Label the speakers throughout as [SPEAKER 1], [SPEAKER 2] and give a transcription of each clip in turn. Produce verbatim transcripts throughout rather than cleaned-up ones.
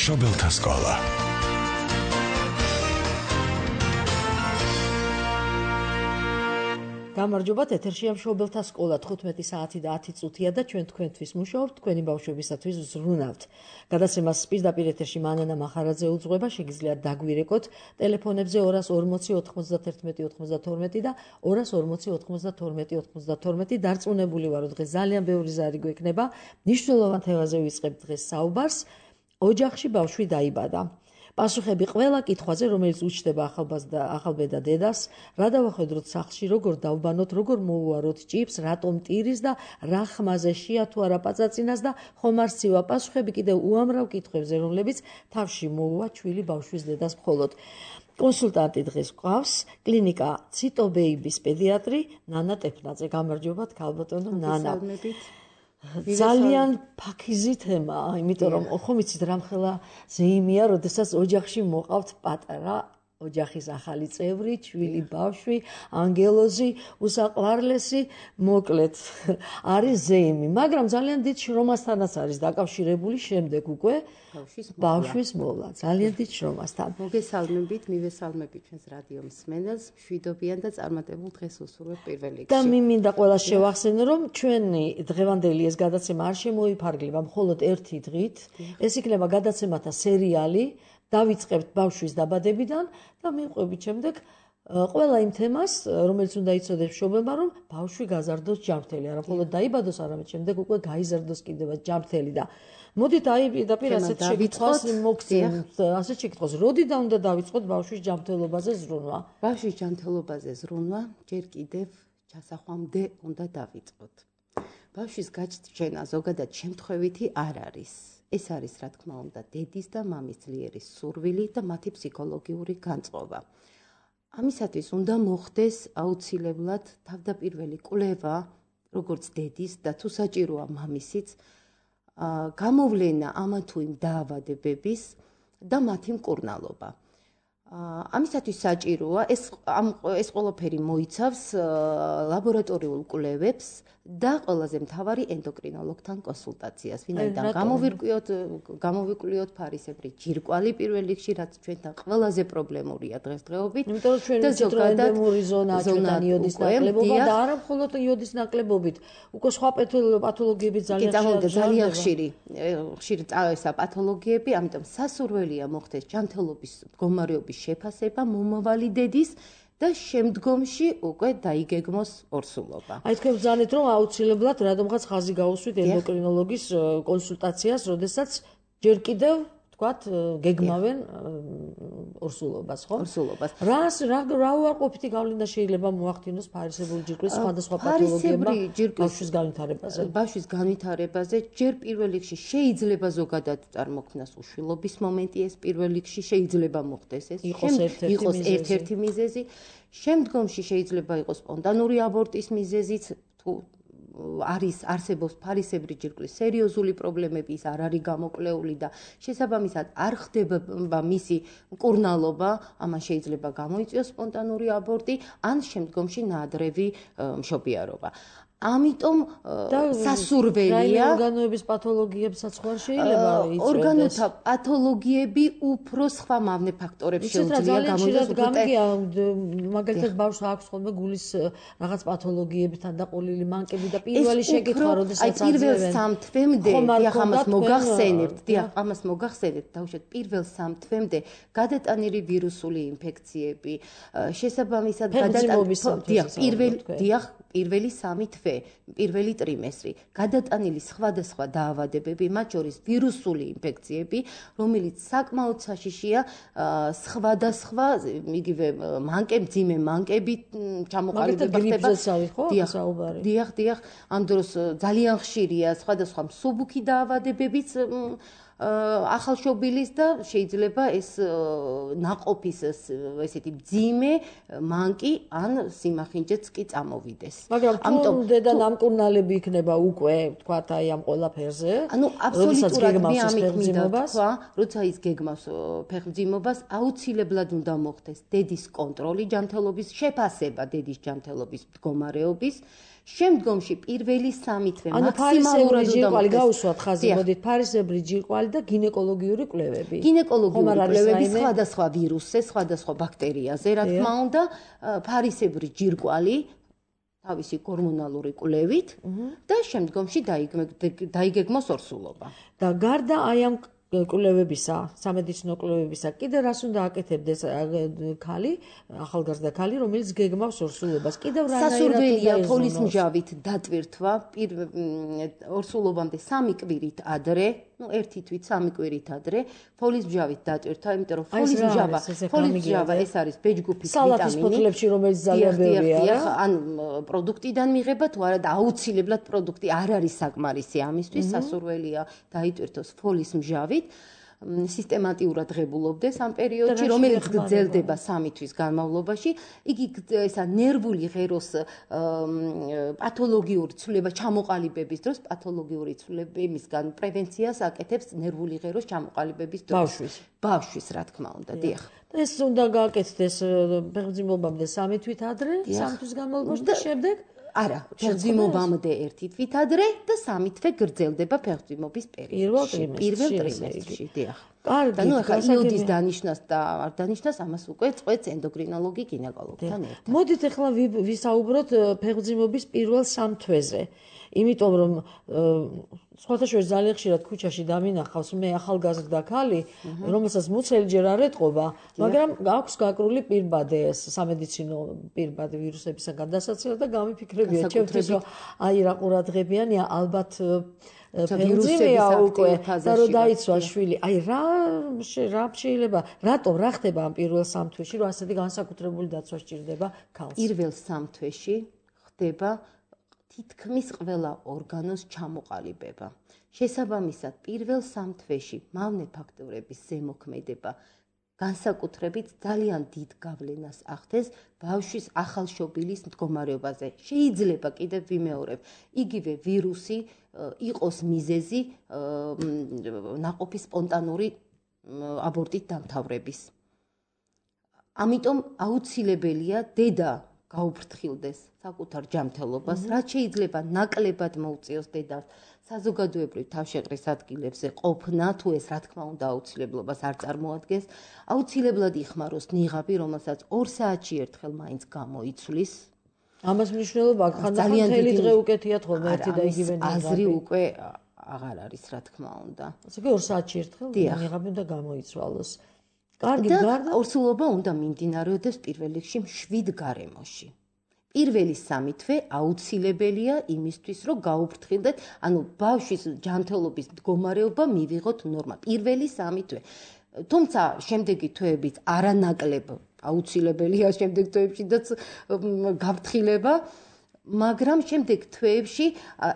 [SPEAKER 1] მშობელთა სკოლა.
[SPEAKER 2] გამარჯობათ, ეთერშია მშობელთა სკოლა თხუთმეტი საათი და ათი წუთია და ჩვენ თქვენთვის მუშაობთ, თქვენი ბავშვებისათვის ვზრუნავთ. გადაცემას პირდაპირ ეთერში მანანა მახარაძე უძღვება, შეგიძლიათ დაგვირეკოთ ტელეფონებზე ორას ორმოცი ოთხმოცდათერთმეტი ოცდათორმეტი და ორას ორმოცი ოთხმოცდათორმეტი ოცდათორმეტი. დარწმუნებული ვარ, რომ დღეს ძალიან ბევრი ზარი გვექნება. მნიშვნელოვან თემაზე ვიწყებთ დღეს საუბარს. ოჯახში ბავშვი დაიბადა. პასუხები ყველა კითხვაზე, რომელიც უჩნდება ახალბედა დედას, რა დავახედროთ სახლში, როგორ დავბანოთ, როგორ მოუაროთ ჭიფს, რატომ ტირის და რა ხმაზე შეა თუ არა პაწაწინას და ხომ არ სცევა პასუხები კიდევ უამრავ კითხვებზე, რომლებიც თავში მოუვა ჩვილი ბავშვის დედას მხოლოდ. კონსულტანტი დღეს გვყავს, კლინიკა ციტობეიბის პედიატრი ნანა ტეფნაძე. გამარჯობათ, ქალბატონო ნანა. ძალიან ფაქიზი თემაა, იმიტომ რომ ხომ იცით რამხელა ზეიმია, როდესაც ოჯახში მოყავთ პატარა ოჯახის ახალი წევრი, ჩვილი ბავშვი, ანგელოზი, უსაყვარლესი, მოკლედ არის ზეიმი, მაგრამ ძალიან დიდ შრომასთანაც არის დაკავშირებული შემდეგ უკვე ბავშვის მოვლა, ძალიან დიდ შრომასთან.
[SPEAKER 3] მოგესალმებით, მივესალმებით ჩვენს რადიო მსმენელს, მშვიდობიან და წარმატებულ დღეს უსურვებ პირველ რიგში.
[SPEAKER 2] და მიმინდა ყველას შევახსენო, რომ ჩვენი დღევანდელი ეს გადაცემა არ შემოიფარგლება მხოლოდ ერთი დღით, ეს იქნება გადაცემათა სერიალი. დავიწყებთ ბავშვის დაბადებიდან და მივყვებით შემდეგ ყველა იმ თემას, რომელიც უნდა იცოდეს მშობელმა, რომ ბავშვი გაზარდოს ჯანმრთელი, არა მხოლოდ დაიბადოს, არამედ შემდეგ უკვე გაიზარდოს კიდევ ჯანმრთელი და მოდით აი პირდაპირ ასეთ შეკითხვას მოგცემთ, ასეთ შეკითხვას, როდიდან უნდა დავიწყოთ ბავშვის ჯანმრთელობაზე ზრუნვა?
[SPEAKER 3] ბავშვის ჯანმრთელობაზე ზრუნვა ჯერ კიდევ ჩასახვამდე უნდა დავიწყოთ. ბავშვის გაჩენა ზოგადად შემთხვევითი არ არის. ეს არის, რა თქმა უნდა, დედის და მამის ძლიერი სურვილი და მათი ფსიქოლოგიური განწყობა. ამისათვის უნდა მოხდეს აუცილებლად თავდაპირველი კვლევა, როგორც დედის და თუ საჭიროა მამისიც, გამოვლენა ამა თუ იმ დაავადებების და მათი მკურნალობა. ამისათვის საჭიროა ეს ეს ყველაფერი მოიცავს ლაბორატორიულ კვლევებს და ყველაზე მთავარი ენდოკრინოლოგთან კონსულტაციას. ვინაიდან გამოვირკვიოთ, გამოვიკვლიოთ ფარისებრი ჯირკვალი პირველ რიგში, რაც ჩვენთან ყველაზე პრობლემურია დღესდღეობით.
[SPEAKER 2] იმიტომ რომ ჩვენ ვიცით, რომ ენდემური ზონაა ჩვენთან იოდის ნაკლებობა და არა მხოლოდ იოდის ნაკლებობით, უკვე სხვა პათოლოგიები ძალიან
[SPEAKER 3] ხშირია. ძალიან ხშირი, ხშირი ესა პათოლოგიები, ამიტომ სასურველია მოხდეს ჯანმრთელობის მდგომარეობის შეფასება მომავალი დედის და შემდგომში უკვე დაიგეგმოს ორსულობა.
[SPEAKER 2] აი თქვენ ბრძანეთ, რომ აუცილებლად რადგანაც ხაზი გაუსვით ენდოკრინოლოგის კონსულტაციას, როდესაც ჯერ კიდევ თქვათ გეგმავენ ორსულობას, ხო?
[SPEAKER 3] ორსულობას.
[SPEAKER 2] რას რა რა უარყოფითი გავლენა შეიძლება მოახდინოს ფარისებური ჯირკვლის სხვადასხვა პათოლოგიებმა ბავშვის განვითარებაზე?
[SPEAKER 3] ბავშვის განვითარებაზე ჯერ პირველ რიგში შეიძლება ზოგადად წარმოქმნას უშვილობის მომენტი, ეს პირველ რიგში შეიძლება მოხდეს ეს.
[SPEAKER 2] იყოს
[SPEAKER 3] ერთ-ერთი მიზეზი. შემდგომში შეიძლება იყოს სპონტანური აბორტის მიზეზიც, თუ არის არსებობს ფარისებრი ჯირკვლის სერიოზული პრობლემები, ის არ არის გამოკლეული და შესაბამისად არ ხდება მისი მკურნალობა, ამან შეიძლება გამოიწვიოს სპონტანური აბორტი ან შემდგომში ნაადრევი მშობიარობა. ამიტომ სასურველია
[SPEAKER 2] ორგანოების პათოლოგიებსაც ხوار შეიძლება იწვევდეს.
[SPEAKER 3] ორგანოთა პათოლოგიები უფრო სხვა მავნე ფაქტორებს შეუძლია გამოიწვიოს.
[SPEAKER 2] გამიგია, მაგალითად ბავშვს აქვს ხოლმე გულის რაღაც პათოლოგიებთან დაყოლილი მანკები და პირველი შეკითხვა, როდესაც
[SPEAKER 3] აძლევენ. პირველ სამ თვემდე, დიახ, ამას მოგახსენებთ, დიახ, ამას მოგახსენებთ, დაუშვათ პირველ სამ თვემდე გადატანილი ვირუსული ინფექციები, შესაბამისად გადატანილი, დიახ, პირველ, დიახ, პირველი სამი თვე, პირველი ტრიმესტრი, გადატანილი სხვადასხვა დაავადებები, მათ შორის ვირუსული ინფექციები, რომელიც საკმაოდ საშიშია სხვადასხვა, იგივე მანკე, მძიმე მანკები ჩამოყალიბება ხდება. დიახ, დიახ, ამ დროს ძალიან ხშირია სხვადასხვა მსუბუქი დაავადებებიც ახალშობილის და შეიძლება ეს ნაყოფის ესეთი მძიმე მანკი ან სიმახინჯეც კი წამოვიდეს.
[SPEAKER 2] მაგრამ ამიტომ დედა ნამკურნალები იქნება უკვე, თქვათ, აი ამ ყველაფერზე.
[SPEAKER 3] ანუ აბსოლუტურად მე ამით მინდა თქვა, როცა ის გეგმავს ფეხმძიმობას, აუცილებლად უნდა მოხდეს დედის კონტროლი ჯანმრთელობის, შეფასება დედის ჯანმრთელობის მდგომარეობის. შემდგომში პირველი სამი თვე მაქსიმალურად უნდა
[SPEAKER 2] ჯირკვალი გაუსვათ ხაზი, მოდით ფარისებრი ჯირკვალი მყარი და გინეკოლოგიური კვლევები.
[SPEAKER 3] გინეკოლოგიური კვლევები სხვადასხვა ვირუსზე, სხვადასხვა ბაქტერიაზე, რა თქმა უნდა, ფარისებრი ჯირკვალი თავისი ჰორმონალური კვლევით და შემდგომში დაიგეგმოს ორსულობა.
[SPEAKER 2] და გარდა აი ამ კვლევებისა, სამედიცინო კვლევებისა, კიდევ რას უნდა აკეთებდეს ქალი, ახალგაზრდა ქალი, რომელიც გეგმავს ორსულობას? კიდევ რანაირად
[SPEAKER 3] სასურველია ფოლის მჟავით დატვირთვა ორსულობამდე სამი კვირით ადრე, ну ერთი თვით სამი კვირით ადრე, ფოლის მჟავით დატვირთვა, იმიტომ რომ ფოლის მჟავა, ფოლის მჟავა ეს არის ბეჯგუფის ვიტამინი.
[SPEAKER 2] სალათის ფოთლებში, რომელიც ძალიან ბევრია,
[SPEAKER 3] ან პროდუქტიდან მიღება თუ არა და აუცილებლად პროდუქტი არ არის საკმარისი ამისთვის, სასურველია დაიტვირთოს ფოლის მჟავით. სისტემატიურად ღებულობდეს ამ პერიოდში, რომელიც გრძელდება სამი თვის განმავლობაში. იგი ესა ნერვული ღეროს პათოლოგიური ცვლილება ჩამოყალიბების დროს, პათოლოგიური ცვლილებებისგან პრევენციას აკეთებს ნერვული ღეროს ჩამოყალიბების დროს.
[SPEAKER 2] ბავშვის.
[SPEAKER 3] ბავშვის, რა თქმა უნდა, დიახ.
[SPEAKER 2] ეს უნდა გააკეთდეს ფეხმძიმობამდე სამი თვით ადრე, სამი თვის განმავლობაში და შემდეგ
[SPEAKER 3] არა, ფეხმძიმობამდე ერთი თვით ადრე და სამი თვე გრძელდება ფეხმძიმობის პერიოდში. პირველ ტრიმესტრში, დიახ.
[SPEAKER 2] კარგი,
[SPEAKER 3] ანუ ახლა იოდის დანიშნას და არ დანიშნას, ამას უკვე წვეთს ენდოკრინოლოგი გინეკოლოგთან ერთად.
[SPEAKER 2] მოდით ახლა ვისაუბროთ ფეხმძიმობის პირველ სამ თვეზე. იმიტომ რომ სხვათა შორის ძალიან ხშირად ქუჩაში დამინახავს მე ახალგაზრდა ქალი, რომელსაც მუცელი ჯერ არ ეტყობა, მაგრამ აქვს გაკრული პირბადე, სამედიცინო პირბადე ვირუსებისგან დასაცავად და გამიფიქრებია ჩემთვის, რომ აი რა ყურადღებიანია, ალბათ ფეხმძიმეა უკვე და რომ დაიცვა შვილი. აი რა რა შეიძლება, რატომ რა ხდება ამ პირველ სამ თვეში, რომ ასეთი განსაკუთრებული დაცვა სჭირდება ქალს?
[SPEAKER 3] პირველ სამ თვეში ხდება თითქმის ყველა ორგანოს ჩამოყალიბება. შესაბამისად, პირველ სამ თვეში მავნე ფაქტორების ზემოქმედება განსაკუთრებით ძალიან დიდ გავლენას ახდენს ბავშვის ახალშობილის მდგომარეობაზე. შეიძლება კიდევ ვიმეორებ, იგივე ვირუსი იყოს მიზეზი ნაყოფის სპონტანური აბორტით დამთავრების. ამიტომ აუცილებელია დედა გაუფრთხილდეს საკუთარ ჯანმრთელობას, რაც შეიძლება ნაკლებად მოუწიოს დედას საზოგადოებრივ თავშეყრის ადგილებზე ყოფნა, თუ ეს რა თქმა უნდა აუცილებლობას არ წარმოადგენს, აუცილებლად იხმაროს ნიღაბი, რომელსაც ორ საათში ერთხელ მაინც გამოიცვლის.
[SPEAKER 2] ამას მნიშვნელობა აქვს, ხანდახან მთელი დღე უკეთიათ ხოლმე ერთი და იგივე ნიღაბი.
[SPEAKER 3] აზრი უკვე აღარ არის, რა თქმა უნდა.
[SPEAKER 2] ასე კი ორ საათში ერთხელ ნიღაბი უნდა გამოიცვალოს. კარგი, გარდა
[SPEAKER 3] ორსულობა უნდა მიმდინარეოდეს პირველ რიგში მშვიდ გარემოში. პირველი სამი თვე აუცილებელია იმისთვის, რომ გაუფრთხილდეთ, ანუ ბავშვის ჯანმრთელობის მდგომარეობა მივიღოთ ნორმა. პირველი სამი თვე. თუმცა შემდეგი თვეებიც არანაკლებ აუცილებელია შემდეგ თვეებშიც გაფრთხილება, მაგრამ შემდეგ თვეებში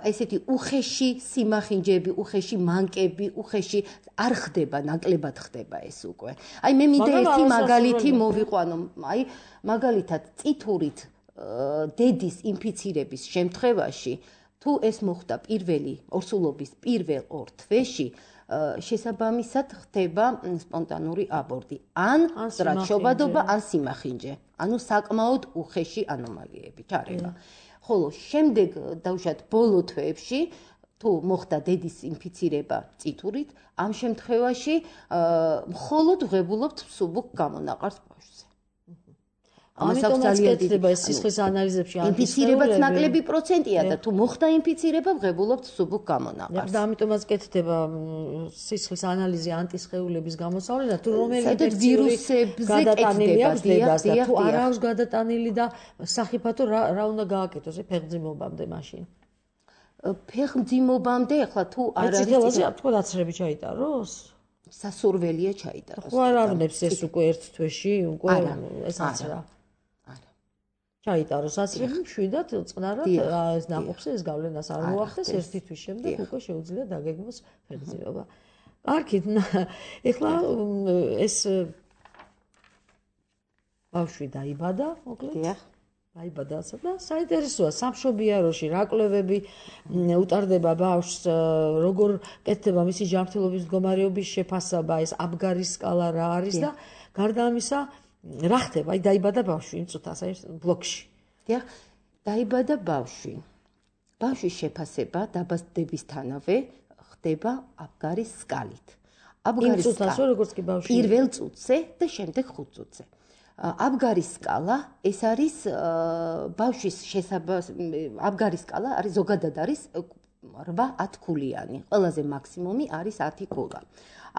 [SPEAKER 3] ესეთი უხეში სიმახინჯეები, უხეში მანკები, უხეში არ ხდება, ნაკლებად ხდება ეს უკვე. აი მე მინდა ერთი მაგალითი მოვიყვანო, აი მაგალითად წითურით დედის ინფიცირების შემთხვევაში, თუ ეს მოხდა პირველი ორსულობის პირველ ორ თვეში, შესაბამისად ხდება სპონტანური აბორტი, ან სტრატშობადობა, ან სიმახინჯე. ანუ საკმაოდ უხეში ანომალიები ჩარება. ხოლო შემდეგ დავუშვათ ბოლო თვეებში თუ მოხდა დედის ინფიცირება წითურით, ამ შემთხვევაში მხოლოდ ვღებულობთ მსუბუქ გამონაყარს ბავშვზე.
[SPEAKER 2] ამიტომაც კეთდება ეს სისხლის ანალიზებში
[SPEAKER 3] ინფიცირებაც ნაკლები პროცენტია და თუ მოხდა ინფიცირება ვღებულობთ მსუბუქ გამონაყარს.
[SPEAKER 2] და ამიტომაც კეთდება სისხლის ანალიზი ანტისხეულების გამოსავლენად, თუ რომელი ინფექციური გადატანილი აქვს დედას და თუ არ აქვს გადატანილი და სახიფათო რა უნდა გააკეთოს ფეხმძიმობამდე მაშინ.
[SPEAKER 3] ფეხმძიმობამდე ახლა თუ არ არის
[SPEAKER 2] ციტელაზე თქვა დაცრები ჩაიტაროს?
[SPEAKER 3] სასურველია ჩაიტაროს.
[SPEAKER 2] ხო არ ავნებს ეს უკვე ერთ თვეში, უკვე ეს აცრა.
[SPEAKER 3] არა.
[SPEAKER 2] ჩაიტაროს აცრები მშვიდად წყნარად ეს ნაყოფზე ეს გავლენას არ მოახდენს ერთი თვის შემდეგ უკვე შეუძლია დაგეგმოს ფეხმძიმობა. კარგი, ეხლა ეს ბავშვი დაიბადა, მოკლედ.
[SPEAKER 3] დიახ.
[SPEAKER 2] დაიბადა და საინტერესოა სამშობიაროში რა კვლევები უტარდება ბავშვს, როგორ კეთდება მისი ჯანმრთელობის მდგომარეობის შეფასება, ეს აბგარის სკალა რა არის და გარდა ამისა რა ხდება? აი დაიბადა ბავშვი იმ წუთას აი ბლოკში.
[SPEAKER 3] დიახ, დაიბადა ბავშვი. ბავშვის შეფასება დაბადებისთანავე ხდება აბგარის სკალით. აბგარის
[SPEAKER 2] სკალა როგორც კი ბავშვი
[SPEAKER 3] პირველ წუთზე და შემდეგ ხუთ წუთზე. აბგარის სკალა ეს არის ბავშვის შესაბამისი აბგარის სკალა არის ზოგადად არის რვა ათ ქულიანი. ყველაზე მაქსიმუმი არის ათი ქულა.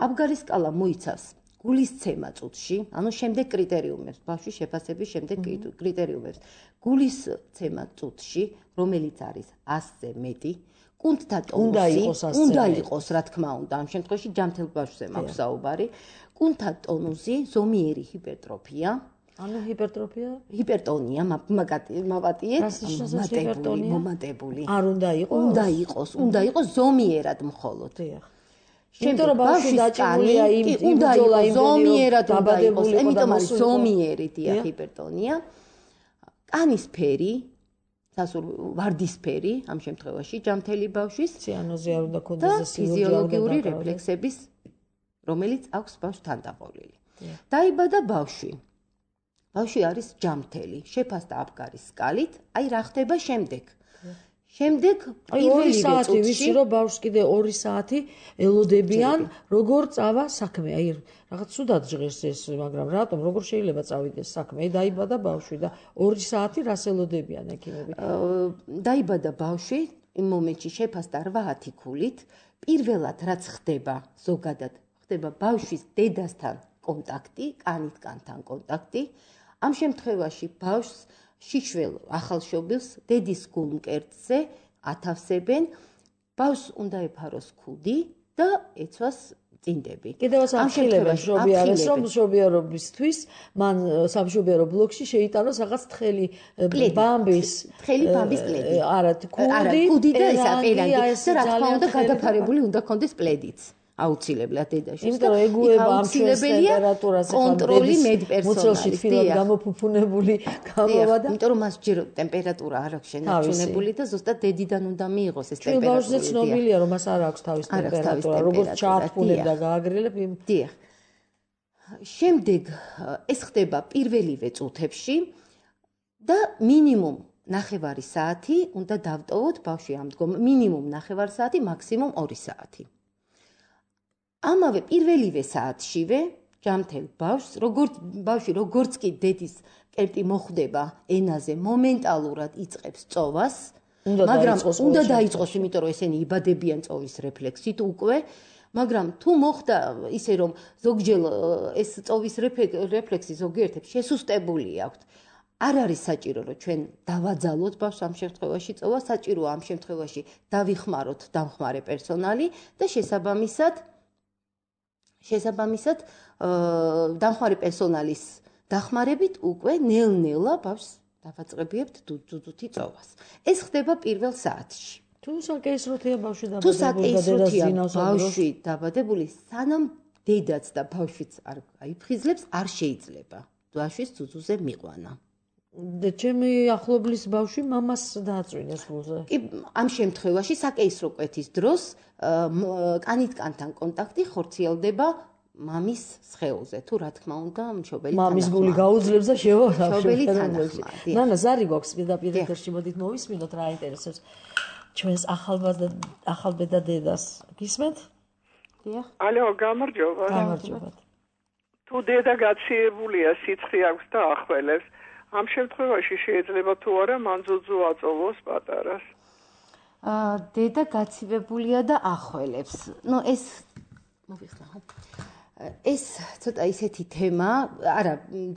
[SPEAKER 3] აბგარის სკალა მოიცავს გულისცემა წუთში, ანუ შემდეგ კრიტერიუმებს, ბავშვის შეფასების შემდეგ კრიტერიუმებს. გულისცემა წუთში, რომელიც არის ასზე მეტი, კუნთთა ტონუსი უნდა იყოს, რა თქმა უნდა, ამ შემთხვევაში ჯანმრთელ ბავშვზე მაქვს საუბარი. კუნთთა ტონუსი, ზომიერი ჰიპერტროფია,
[SPEAKER 2] ანუ ჰიპერტროფია,
[SPEAKER 3] ჰიპერტონია, მაპატიეთ, მომატებული, მომატებული.
[SPEAKER 2] არ უნდა იყოს,
[SPEAKER 3] უნდა იყოს, უნდა იყოს ზომიერად მხოლოდ.
[SPEAKER 2] იმიტომ რომ ბავშვი დაჭირულია იმ იმძოლა იმ
[SPEAKER 3] ზომიერად უნდა იყოს, იმიტომ არის ზომიერი დია ჰიპერტონია. კანის ფერი, სასურ ვარდისფერი, ამ შემთხვევაში ჯანმრთელი ბავშვის
[SPEAKER 2] ციანოზი არ უნდა ქონდეს
[SPEAKER 3] ფიზიოლოგიური რეფლექსების, რომელიც აქვს ბავშვს თანდაყოლილი. დაიბადა ბავშვი. ბავშვი არის ჯანმრთელი, შეფასდა აბგარის სკალით, აი რა ხდება შემდეგ. შემდეგ
[SPEAKER 2] პირველი საათი ვიცი რომ ბავშვს კიდე ორი საათი ელოდებიან როგორ წავა საქმე. აი რაღაც სუდად ჟღერს ეს, მაგრამ რატომ როგორ შეიძლება წავიდეს საქმე? აი დაიბადა ბავშვი და ორი საათი რას ელოდებიან ექიმები?
[SPEAKER 3] დაიბადა ბავშვი, იმ მომენტში შეფასდა რვა ათი ქულით, პირველად რაც ხდება ზოგადად, ხდება ბავშვის დედასთან კონტაქტი, კანით კანთან კონტაქტი. ამ შემთხვევაში ბავშვს შიშველ ახალშობილს დედის გულმკერდზე ათავსებენ, ბავშვს უნდა ეფაროს ქუდი და ეცვას წინდები.
[SPEAKER 2] კიდევაც ამხილებენ მშობიარეს, რომ მშობიარობისთვის მან სამშობიარო ბლოკში შეიტანოს რაღაც თხელი ბამბის,
[SPEAKER 3] თხელი ბამბის პლედი.
[SPEAKER 2] არა, ქუდი,
[SPEAKER 3] ქუდი და ისა პერანგი და რა თქმა უნდა გადაფარებული უნდა კონდეს პლედიც. აუცილებლად დედაშვილს.
[SPEAKER 2] იმიტომ რომ ეგუება ამ ჩვენს ტემპერატურას
[SPEAKER 3] კონტროლი მედპერსონალის
[SPEAKER 2] მუცელში გამოფუფუნებული გამოვა და
[SPEAKER 3] იმიტომ რომ მას ჯერ ტემპერატურა არ აქვს შენარჩუნებული და ზუსტად დედიდან უნდა მიიღოს ეს ტემპერატურა.
[SPEAKER 2] ბავშვზე ცნობილია რომ მას არ აქვს თავის ტემპერატურა, როგორც ჩაათბულებ და გააგრილებ იმ.
[SPEAKER 3] დიახ. შემდეგ ეს ხდება პირველივე წუთებში და მინიმუმ ნახევარი საათი უნდა დავტოვოთ ბავშვი ამ დგომ, მინიმუმ ნახევარი საათი, მაქსიმუმ ორი საათი. ამავე პირველივე საათშივე ჯანმრთელ ბავშვს, როგორც ბავშვი როგორც კი დედის კერტი მოხვდება ენაზე, მომენტალურად იწყებს წოვას, მაგრამ უნდა დაიწყოს, იმიტომ რომ ესენი იბადებიან წოვის რეფლექსით უკვე, მაგრამ თუ მოხდა ისე რომ ზოგჯერ ეს წოვის რეფლექსი ზოგიერთებს შესუსტებული აქვთ, არ არის საჭირო რომ ჩვენ დავაძალოთ ბავშვს ამ შემთხვევაში წოვა, საჭიროა ამ შემთხვევაში დავიხმაროთ დამხმარე პერსონალი და შესაბამისად შესაბამისად დამხმარე პერსონალის დახმარებით უკვე ნელ-ნელა ბავშვს დავაწყებიებთ დუძუთი წოვას. ეს ხდება პირველ საათში.
[SPEAKER 2] თუ საკეისროთია ბავშვი
[SPEAKER 3] დაბადებული, თუ საკეისროთია ბავშვი დაბადებული, სანამ დედაც და ბავშვიც არ აიფხიზლებს, არ შეიძლება ბავშვის ძუძუზე მიყვანა.
[SPEAKER 2] და ჩემი ახლობლის ბავშვი მამას დააწვინეს გულზე.
[SPEAKER 3] კი, ამ შემთხვევაში საკეისრო კვეთის დროს კანით კანთან კონტაქტი ხორციელდება მამის სხეულზე. თუ რა თქმა უნდა, მშობელი თანახმაა.
[SPEAKER 2] მამის გული გაუძლებს და შევავსა.
[SPEAKER 3] მშობელი თანახმაა.
[SPEAKER 2] ნანა, ზარი გვაქვს პირდაპირ ეთერში, მოდით მოვისმინოთ რა ინტერესებს ჩვენს ახალბედა დედას. გისმენთ?
[SPEAKER 3] დიახ.
[SPEAKER 1] ალო, გამარჯობა.
[SPEAKER 2] გამარჯობა.
[SPEAKER 1] თუ დედა გაციებულია, სიცხე აქვს და ახველებს, ამ შემთხვევაში შეიძლება თუ არა მან ძუძუ აწოვოს პატარას.
[SPEAKER 3] აა დედა გაცივებულია და ახველებს. ნუ ეს მოვიხსნა ხო? ეს ცოტა ისეთი თემა, არა,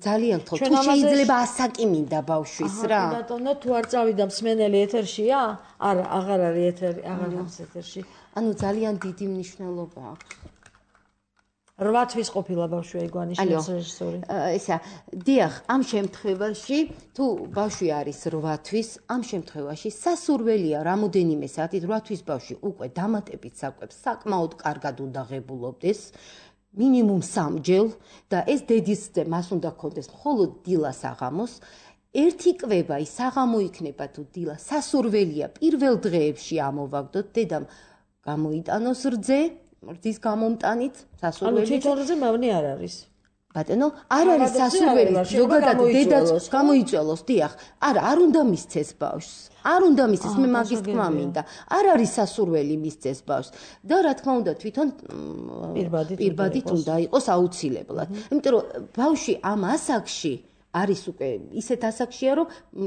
[SPEAKER 3] ძალიან ხო, თუ შეიძლება ასაკიმინდა ბავშვის რა.
[SPEAKER 2] აჰა, ბატონო, თუ არ წავიდა მსმენელი ეთერშია? არა, აღარ არის ეთერი, აღარ არის ეთერში.
[SPEAKER 3] ანუ ძალიან დიდი მნიშვნელობა აქვს.
[SPEAKER 2] რვა თვის ყოფილა ბავშვი აიგვანიშნებს რეჟისორი.
[SPEAKER 3] ესა, დიახ, ამ შემთხვევაში თუ ბავშვი არის რვა თვის, ამ შემთხვევაში სასურველია რამოდენიმე საათით რვა თვის ბავშვი უკვე დამატებით საკვებს საკმაოდ კარგად უნდა ღებულობდეს, მინიმუმ სამჯერ და ეს დედისზე მას უნდა ქონდეს მხოლოდ დილა საღამოს. ერთი კვება ის საღამო იქნება თუ დილა, სასურველია პირველ დღეებში ამოვაგდოთ დედამ გამოიტანოს რძე რძის გამომტანით სასურველი.
[SPEAKER 2] ანუ თვითონ რძე მავნე არ არის.
[SPEAKER 3] ბატონო, არ არის სასურველი ზოგადად დედაც გამოიწველოს, დიახ. არა, არ უნდა მისცეს ბავშვს. არ უნდა მისცეს, მე მაგის თქმა მინდა. არ არის სასურველი მისცეს ბავშვს. და რა თქმა უნდა, თვითონ პირბადით უნდა იყოს აუცილებლად. იმიტომ რომ ბავშვი ამ ასაკში არის უკვე ისეთ ასაკშია, რომ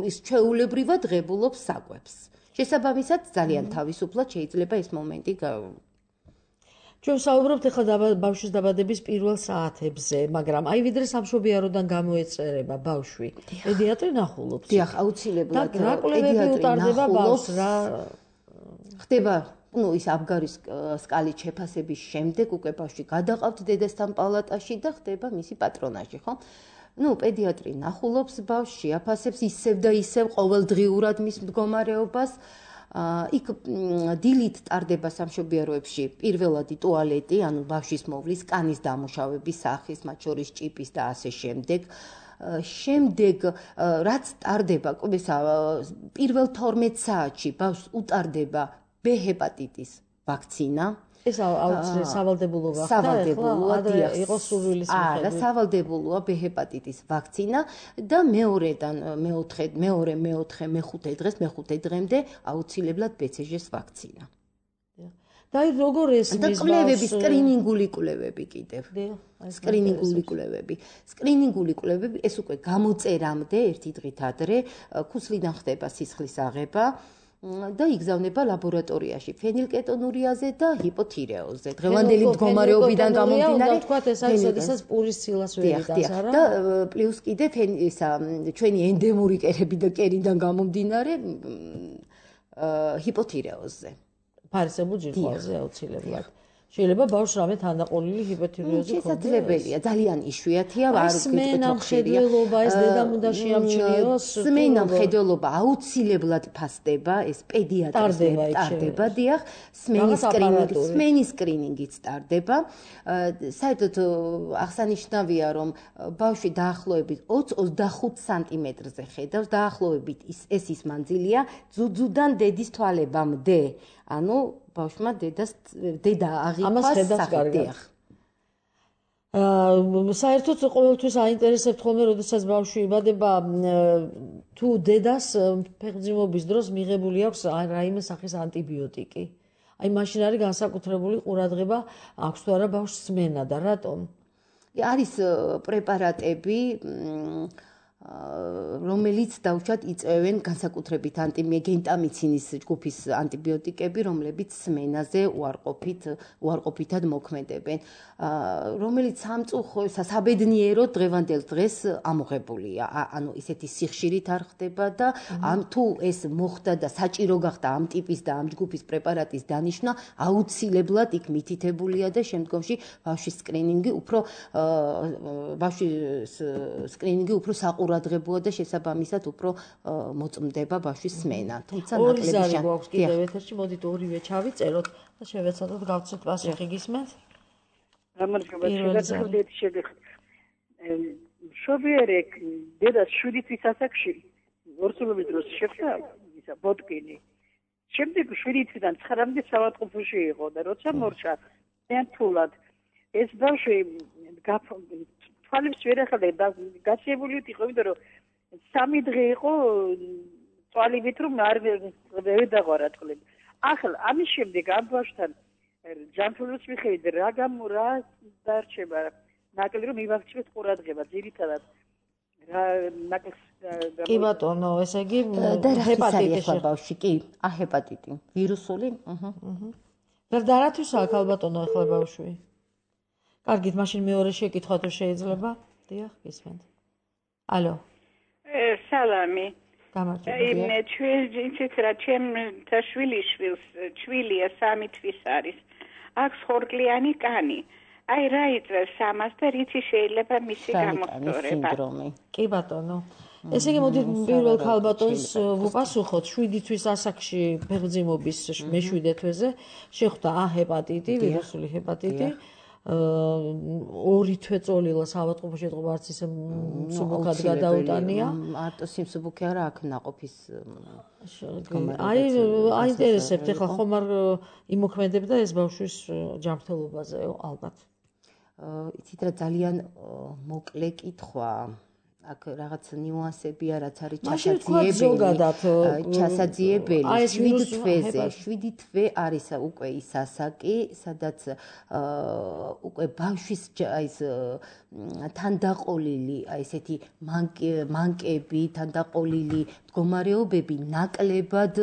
[SPEAKER 3] ის ჩვეულებრივად ღებულობს საკვებს. შესაბამისად, ძალიან თავისუფლად შეიძლება ეს მომენტი
[SPEAKER 2] ჩვენ საუბრობთ ახლა ბავშვის დაბადების პირველ საათებზე, მაგრამ აი ვიდრე სამშობიაროდან გამოეწერება ბავშვი, პედიატრი ნახულობს.
[SPEAKER 3] დიახ, აუცილებლად
[SPEAKER 2] და რა კვლევები უტარდება ბავშვს, რა
[SPEAKER 3] ხდება, ну, ის აბგარის სკალით შეფასების შემდეგ უკვე ბავშვი გადაყავთ დედასთან პალატაში და ხდება მისი პატრონაჟი, ხო? ну, პედიატრი ნახულობს ბავშვს, შეაფასებს ისევ და ისევ ყოველდღიურად მის მდგომარეობას. იქ დილით ტარდება სამშობიაროებში პირველადი ტუალეტი, ანუ ბავშვის მოვლის, კანის დამუშავების სახის, მათ შორის ჭიპის და ასე შემდეგ. შემდეგ რაც ტარდება, პირველ თორმეტ საათში ბავშვს უტარდება ბ ჰეპატიტის ვაქცინა.
[SPEAKER 2] ეს სავალდებულოა,
[SPEAKER 3] სავალდებულოა, დიახ,
[SPEAKER 2] იყოს სურვილის
[SPEAKER 3] მიხედვით. არა, სავალდებულოა ბ ჰეპატიტის ვაქცინა და მეორედან მეოთხე, მეორე, მეოთხე, მეხუთე დღეს, მეხუთე დღემდე აუცილებლად ბ ცე ჟეს ვაქცინა.
[SPEAKER 2] და აი როგორ ესმის
[SPEAKER 3] და კვლევები, სკრინინგული კვლევები კიდევ. სკრინინგული კვლევები. სკრინინგული კვლევები ეს უკვე გამოწერამდე ერთი დღით ადრე ქუსლიდან ხდება სისხლის აღება. და იგზავნება ლაბორატორიაში ფენილკეტონურიაზე და ჰიპოთირეოზზე. დღევანდელი მდგომარეობიდან გამომდინარე,
[SPEAKER 2] თქვათ ეს არის შესაძლოა პურის ცილას ვერიდანს, არა?
[SPEAKER 3] და პლუს კიდე ისა ჩვენი ენდემური კერები და კერიდან გამომდინარე ჰიპოთირეოზზე.
[SPEAKER 2] ფარისებულ ჯირკვალზე აუცილებლად. შეიძლება ბავშვს რამე თანაყოლილი ჰიპოთირეოზი
[SPEAKER 3] ქონდეს. შესაძლებელია, ძალიან იშვიათია, არ
[SPEAKER 2] სმენა მხედველობა, ეს დედამ უნდა შეამჩნიოს.
[SPEAKER 3] სმენა მხედველობა აუცილებლად ფასდება, ეს პედიატრზე ტარდება, დიახ, სმენის სკრინინგი, სმენის სკრინინგიც ტარდება. საერთოდ აღსანიშნავია, რომ ბავშვი დაახლოებით ოცი ოცდახუთ სანტიმეტრზე ხედავს, დაახლოებით ეს ის მანძილია ძუძუდან დედის თვალებამდე. ანუ ბავშვმა დედას დედა აღიქვას სახით.
[SPEAKER 2] აა საერთოდ ყოველთვის აინტერესებთ ხოლმე, როდესაც ბავშვი იბადება, თუ დედას ფეხმძიმობის დროს მიღებული აქვს რაიმე სახის ანტიბიოტიკი. აი მაშინ არის განსაკუთრებული ყურადღება აქვს თუ არა ბავშვს სმენა და რატომ?
[SPEAKER 3] არის პრეპარატები რომელიც დაუშვათ იწევენ განსაკუთრებით ანტიმეგენტამიცინის ჯგუფის ანტიბიოტიკები, რომლებიც სმენაზე უარყოფით უარყოფითად მოქმედებენ, რომელიც სამწუხაროდ საბედნიეროდ დღევანდელ დღეს ამოღებულია. ანუ ისეთი სიხშირით არ ხდება და ამ თუ ეს მოხდა და საჭირო გახდა ამ ტიპის და ამ ჯგუფის პრეპარატის დანიშვნა, აუცილებლად იქ მითითებულია და შემდგომში ბავშვის სკრინინგი უფრო ბავშვის სკრინინგი უფრო საყურადღებოა ყურადღებოა და შესაბამისად უფრო მოწმდება ბავშვის სმენა. თუმცა
[SPEAKER 2] ნაკლები გვაქვს კიდევ ეთერში, მოდით ორივე ჩავიწეროთ და შევეცადოთ გავცეთ პასუხი გისმენთ?
[SPEAKER 4] გამარჯობა, შეგახსოვდეთ შეგეხ. შობიერი დედას შვიდი თვის ასაკში ორსულობის დროს შეხვდა ისა ბოტკინი. შემდეგ შვიდი თვიდან ცხრამდე საავადმყოფოში იყო და როცა მორჩა ერთულად ეს ბავშვი თვალებს ვერ ახალდა გასიებული იყო, იმიტომ რომ სამი დღე იყო თვალებით რომ არ ვერ დაღვარა თვალები. ახლა ამის შემდეგ ამ ბავშვთან ჯანმრთელობის მიხედვით რა გამო რა დარჩება ნაკლი რომ მივაქციოთ ყურადღება ძირითადად რა ნაკლს
[SPEAKER 2] კი ბატონო, ესე იგი
[SPEAKER 3] ჰეპატიტი ხო ბავშვი კი ა ჰეპატიტი ვირუსული აჰა
[SPEAKER 2] და დარათვის აქ ალბატონო ახლა ბავშვი კარგით, მაშინ მეორე შეკითხვა თუ შეიძლება? დიახ, გისმენთ. ალო.
[SPEAKER 5] სალამი.
[SPEAKER 2] გამარჯობა.
[SPEAKER 5] იმ ჩვენ იცით რა, ჩემ შვილი შვილს, შვილია სამი თვის არის. აქვს ხორკლიანი კანი. აი რა იწევს ამას და რითი შეიძლება მისი გამოსწორება?
[SPEAKER 2] კი ბატონო. ესე იგი მოდით პირველ ქალბატონს ვუპასუხოთ შვიდი თვის ასაკში ფეხმძიმობის მეშვიდე თვეზე შეხვდა ა ჰეპატიტი, ვირუსული ჰეპატიტი. ორი თვე წოლილა საავადმყოფოში ეთყობა არც ისე მსუბუქად გადაუტანია.
[SPEAKER 3] მარტო სიმსუბუქე არა აქ ნაყოფის
[SPEAKER 2] აი აინტერესებთ ახლა ხომ არ იმოქმედებდა ეს ბავშვის ჯანმრთელობაზე ალბათ.
[SPEAKER 3] იცით რა ძალიან მოკლე კითხვა აქ რაღაც ნიუანსებია რაც არის ჩასაძიებელი ჩასაძიებელი შვიდი თვეზე შვიდი თვე არის უკვე ის ასაკი სადაც უკვე ბავშვის ის თანდაყოლილი აი ესეთი მანკები თანდაყოლილი მდგომარეობები ნაკლებად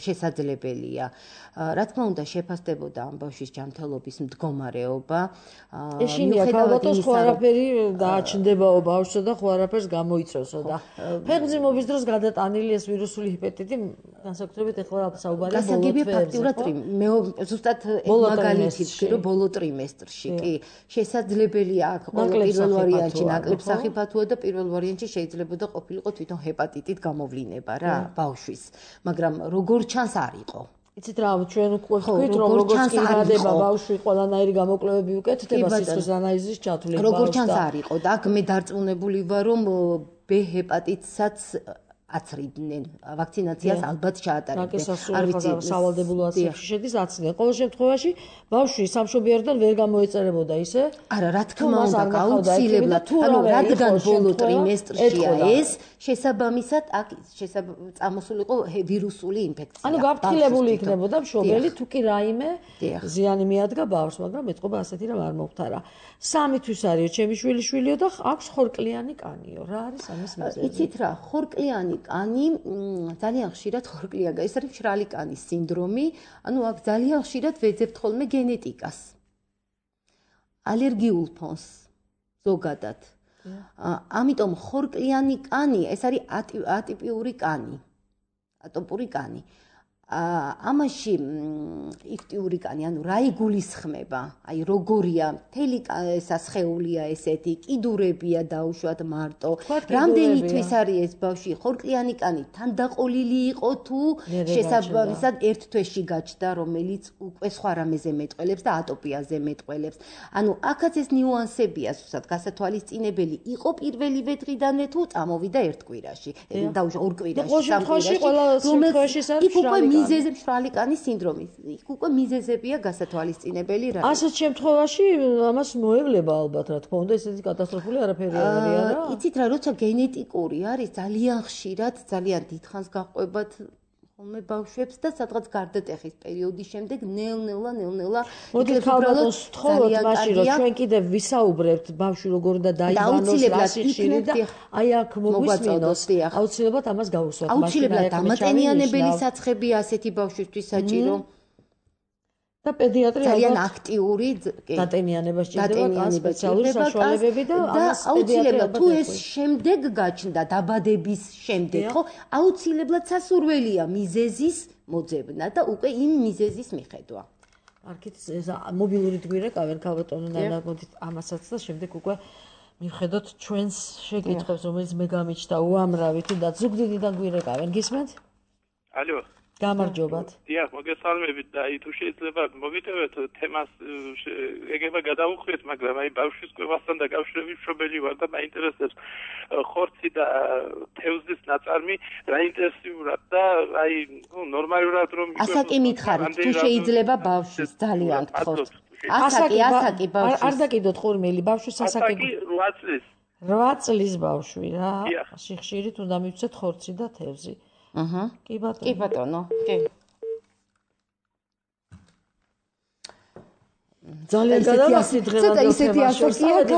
[SPEAKER 3] შესაძლებელია რა თქმა უნდა შეფასდებოდა ამ ბავშვის ჯანმრთელობის მდგომარეობა
[SPEAKER 2] ეშინია ალბათოს ხო არაფერი დააჩნდებაო ბავშვსა და ხო არაფერს გამოიწვევსო და ფეხმძიმობის დროს გადატანილი ეს ვირუსული ჰეპატიტი განსაკუთრებით ეხლა საუბარია ბოლო თვეებზე
[SPEAKER 3] ფაქტურად მე ზუსტად მაგალითი ვთქვი რომ ბოლო ტრიმესტრში კი შესაძლებელია აქ პირველ ვარიანტში ნაკლებ სახიფათოა და პირველ ვარიანტში შეიძლებოდა ყოფილიყო თვითონ ჰეპატიტით გამოვლინება რა ბავშვის მაგრამ როგორ ჩანს არ იყო
[SPEAKER 2] იცით რა ჩვენ უკვე ვთქვით რომ როგორც კი გადება ბავშვი ყველანაირი გამოკვლევები უკეთდება სისხლის ანალიზის ჩათვლით
[SPEAKER 3] როგორ ჩანს არ იყო და აქ მე დარწმუნებული ვარ რომ ბ ჰეპატიტსაც აცრიდნენ ვაქცინაციას ალბათ ჩაატარებდნენ
[SPEAKER 2] არ ვიცი სავალდებულო აცრებში შედის აცრიდნენ ყოველ შემთხვევაში ბავშვი სამშობიაროდან ვერ გამოეწერებოდა ისე
[SPEAKER 3] არა რა თქმა უნდა გაუცილებლად ანუ რადგან ბოლო ტრიმესტრშია ეს შესაბამისად აქ წამოსულიყო ვირუსული ინფექცია
[SPEAKER 2] ანუ გაფრთხილებული იქნებოდა მშობელი თუ კი რაიმე ზიანი მიადგა ბავშვს მაგრამ ეთყობა ასეთი რამ არ მომხდარა სამი თვის არისო ჩემი შვილი შვილიო და აქვს ხორკლიანი კანიო რა არის ამის მიზეზი
[SPEAKER 3] იცით რა ხორკლიანი კანი ძალიან ხშირად ხორკლიანი ეს არის მშრალი კანის სინდრომი ანუ აქ ძალიან ხშირად ვეძებთ ხოლმე გენეტიკას ალერგიულ ფონს ზოგადად ამიტომ ხორკლიანი კანი ეს არის ატიპიური კანი ატოპური კანი ამაში იკტიური კანი ანუ რა იგულისხმება აი როგორია მთელი სასხეულია ესეთი კიდურებია დაუშვათ მარტო რამდენი თვის არის ეს ბავშვი ხორკლიანი კანი თანდაყოლილი იყო თუ შესაბამისად ერთ თვეში გაჩნდა რომელიც უკვე სხვა რამეზე მეტყველებს და ატოპიაზე მეტყველებს ანუ აქაც ეს ნიუანსებია ზუსტად გასათვალისწინებელი იყო პირველივე დღიდანვე თუ წამოვიდა ერთ კვირაში დაუშვა ორ კვირაში სამ კვირაში მიზეზი მშრალი კანის სინდრომი. იქ უკვე მიზეზებია გასათვალისწინებელი რა.
[SPEAKER 2] ასეთ შემთხვევაში ამას მოევლება ალბათ რა თქმა უნდა ესეთი კატასტროფული არაფერი არ არის არა?
[SPEAKER 3] იცით რა, როცა გენეტიკური არის ძალიან ხშირად, ძალიან დიდხანს გაყვებათ ხოლმე ბავშვებს და სადღაც გარდატეხის პერიოდის შემდეგ ნელ-ნელა ნელ-ნელა
[SPEAKER 2] მოდით ალბათ ვთხოვოთ მაშინ რომ ჩვენ კიდევ ვისაუბრებთ ბავშვი როგორ უნდა დაიბანოს რა სიხშირით და აი აქ მოგვისმინოს აუცილებლად ამას გავუსვათ
[SPEAKER 3] მაშინ აუცილებლად დამატენიანებელი საცხები ასეთი ბავშვისთვის საჭირო
[SPEAKER 2] და პედიატრი
[SPEAKER 3] ძალიან აქტიური
[SPEAKER 2] დატენიანება სჭირდება კანს სპეციალური საშუალებები და ამას
[SPEAKER 3] აუცილებლად თუ ეს შემდეგ გაჩნდა დაბადების შემდეგ ხო აუცილებლად სასურველია მიზეზის მოძებნა და უკვე იმ მიზეზის მიხედვა
[SPEAKER 2] არქით ეს მობილური გვირეკავენ ქალბატონო ნანა მოდით ამასაც და შემდეგ უკვე მივხედოთ ჩვენს შეკითხვებს რომელიც მე გამიჩნდა უამრავი თუნდაც ზუგდიდიდან გვირეკავენ გისმენთ
[SPEAKER 6] ალო
[SPEAKER 2] გამარჯობათ.
[SPEAKER 6] დიახ, მოგესალმებით და აი თუ შეიძლება მოგიტევეთ თემას ეგება გადავუხვიეთ, მაგრამ აი ბავშვის კვებასთან დაკავშირებით მშობელი ვარ და მაინტერესებს ხორცი და თევზის ნაწარმი რაინტერესებურად და აი ნუ ნორმალურად რომ
[SPEAKER 3] ასაკი მითხარით, თუ შეიძლება ბავშვის ძალიან გთხოვთ. ასაკი, ასაკი ბავშვის.
[SPEAKER 2] არ დაკიდოთ ხურმელი, ბავშვის ასაკი.
[SPEAKER 6] ასაკი რვა წლის.
[SPEAKER 2] რვა წლის ბავშვი რა. სიხშირით უნდა მივცეთ ხორცი და თევზი.
[SPEAKER 3] აჰა.
[SPEAKER 2] კი ბატონო.
[SPEAKER 3] კი ბატონო. კი.
[SPEAKER 2] ძალიან გადავასი დღევანდელ თემაში,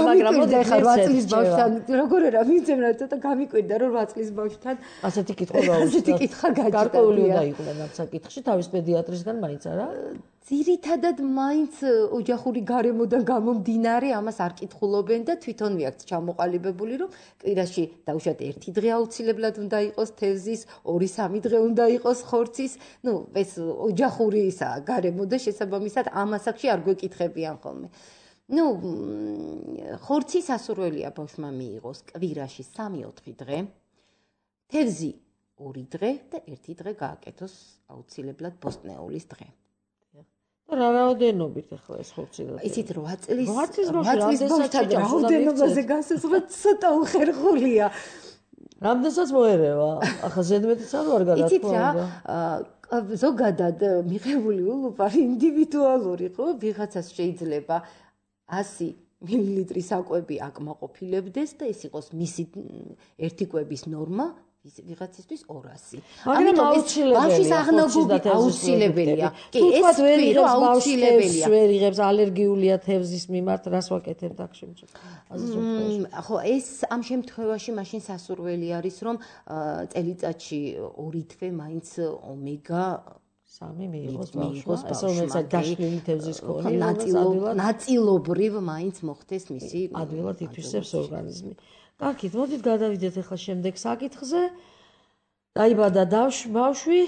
[SPEAKER 3] მაგრამ მოდი ხარ რვა წლის ბავშვთან როგორ არა მიცემ რა ცოტა გამიკვირდა რომ რვა წლის ბავშვთან
[SPEAKER 2] ასეთი კითხვა გაუჩნდა.
[SPEAKER 3] ასეთი კითხვა გაჩნდა.
[SPEAKER 2] გარკვეული უნდა იყვნენ ამ საკითხში თავის პედიატრისგან მაინც არა?
[SPEAKER 3] ძირითადად მაინც ოჯახური გარემოდან გამომდინარე ამას არ კითხულობენ და თვითონვე აქ ჩამოყალიბებული რომ კვირაში დაუშვათ ერთი დღე აუცილებლად უნდა იყოს თევზის, ორი სამი დღე უნდა იყოს ხორცის, ну ეს ოჯახური ისა გარემო და შესაბამისად ამ ასაკში არ გვეკითხებიან ხოლმე. ну ხორცი სასურველია ბავშვმა მიიღოს კვირაში სამი ოთხი დღე. თევზი ორი დღე და ერთი დღე გააკეთოს აუცილებლად ბოსტნეულის დღე.
[SPEAKER 2] რა რაოდენობით ახლა ეს ხორცი და
[SPEAKER 3] ისიც რვა წლის
[SPEAKER 2] რვა წლის ბავშვთან
[SPEAKER 3] რაოდენობაზე გასასწრად ცოტა უხერხულია.
[SPEAKER 2] რამდენსაც მოერევა? ახლა ზედმეტიც არ ვარ გადათქვა.
[SPEAKER 3] იცით რა, ზოგადად მიღებული ულუფარი ინდივიდუალური ხო? ვიღაცას შეიძლება ასი მილილიტრი საკვები აკმაყოფილებდეს და ეს იყოს მისი ერთი კვების ნორმა ვიღაცისთვის ორასი.
[SPEAKER 2] ამიტომ
[SPEAKER 3] ბავშვის აღნაგობი აუცილებელია. კი, ეს ვერო აუცილებელია.
[SPEAKER 2] ვერ იღებს ალერგიულია თევზის მიმართ, რას ვაკეთებთ აქ შემთხვევაში?
[SPEAKER 3] ხო, ეს ამ შემთხვევაში მაშინ სასურველი არის, რომ წელიწადში ორი თვე მაინც ომეგა
[SPEAKER 2] სამი მიიღოს ბავშვმა, ეს რომელსაც გაშლილი თევზის ქონი,
[SPEAKER 3] ნაწილობრივ მაინც მოხდეს მისი
[SPEAKER 2] ადვილად ითვისებს ორგანიზმი. კარგით, მოდით გადავიდეთ ახლა შემდეგ საკითხზე. დაიბადა ბავშვი,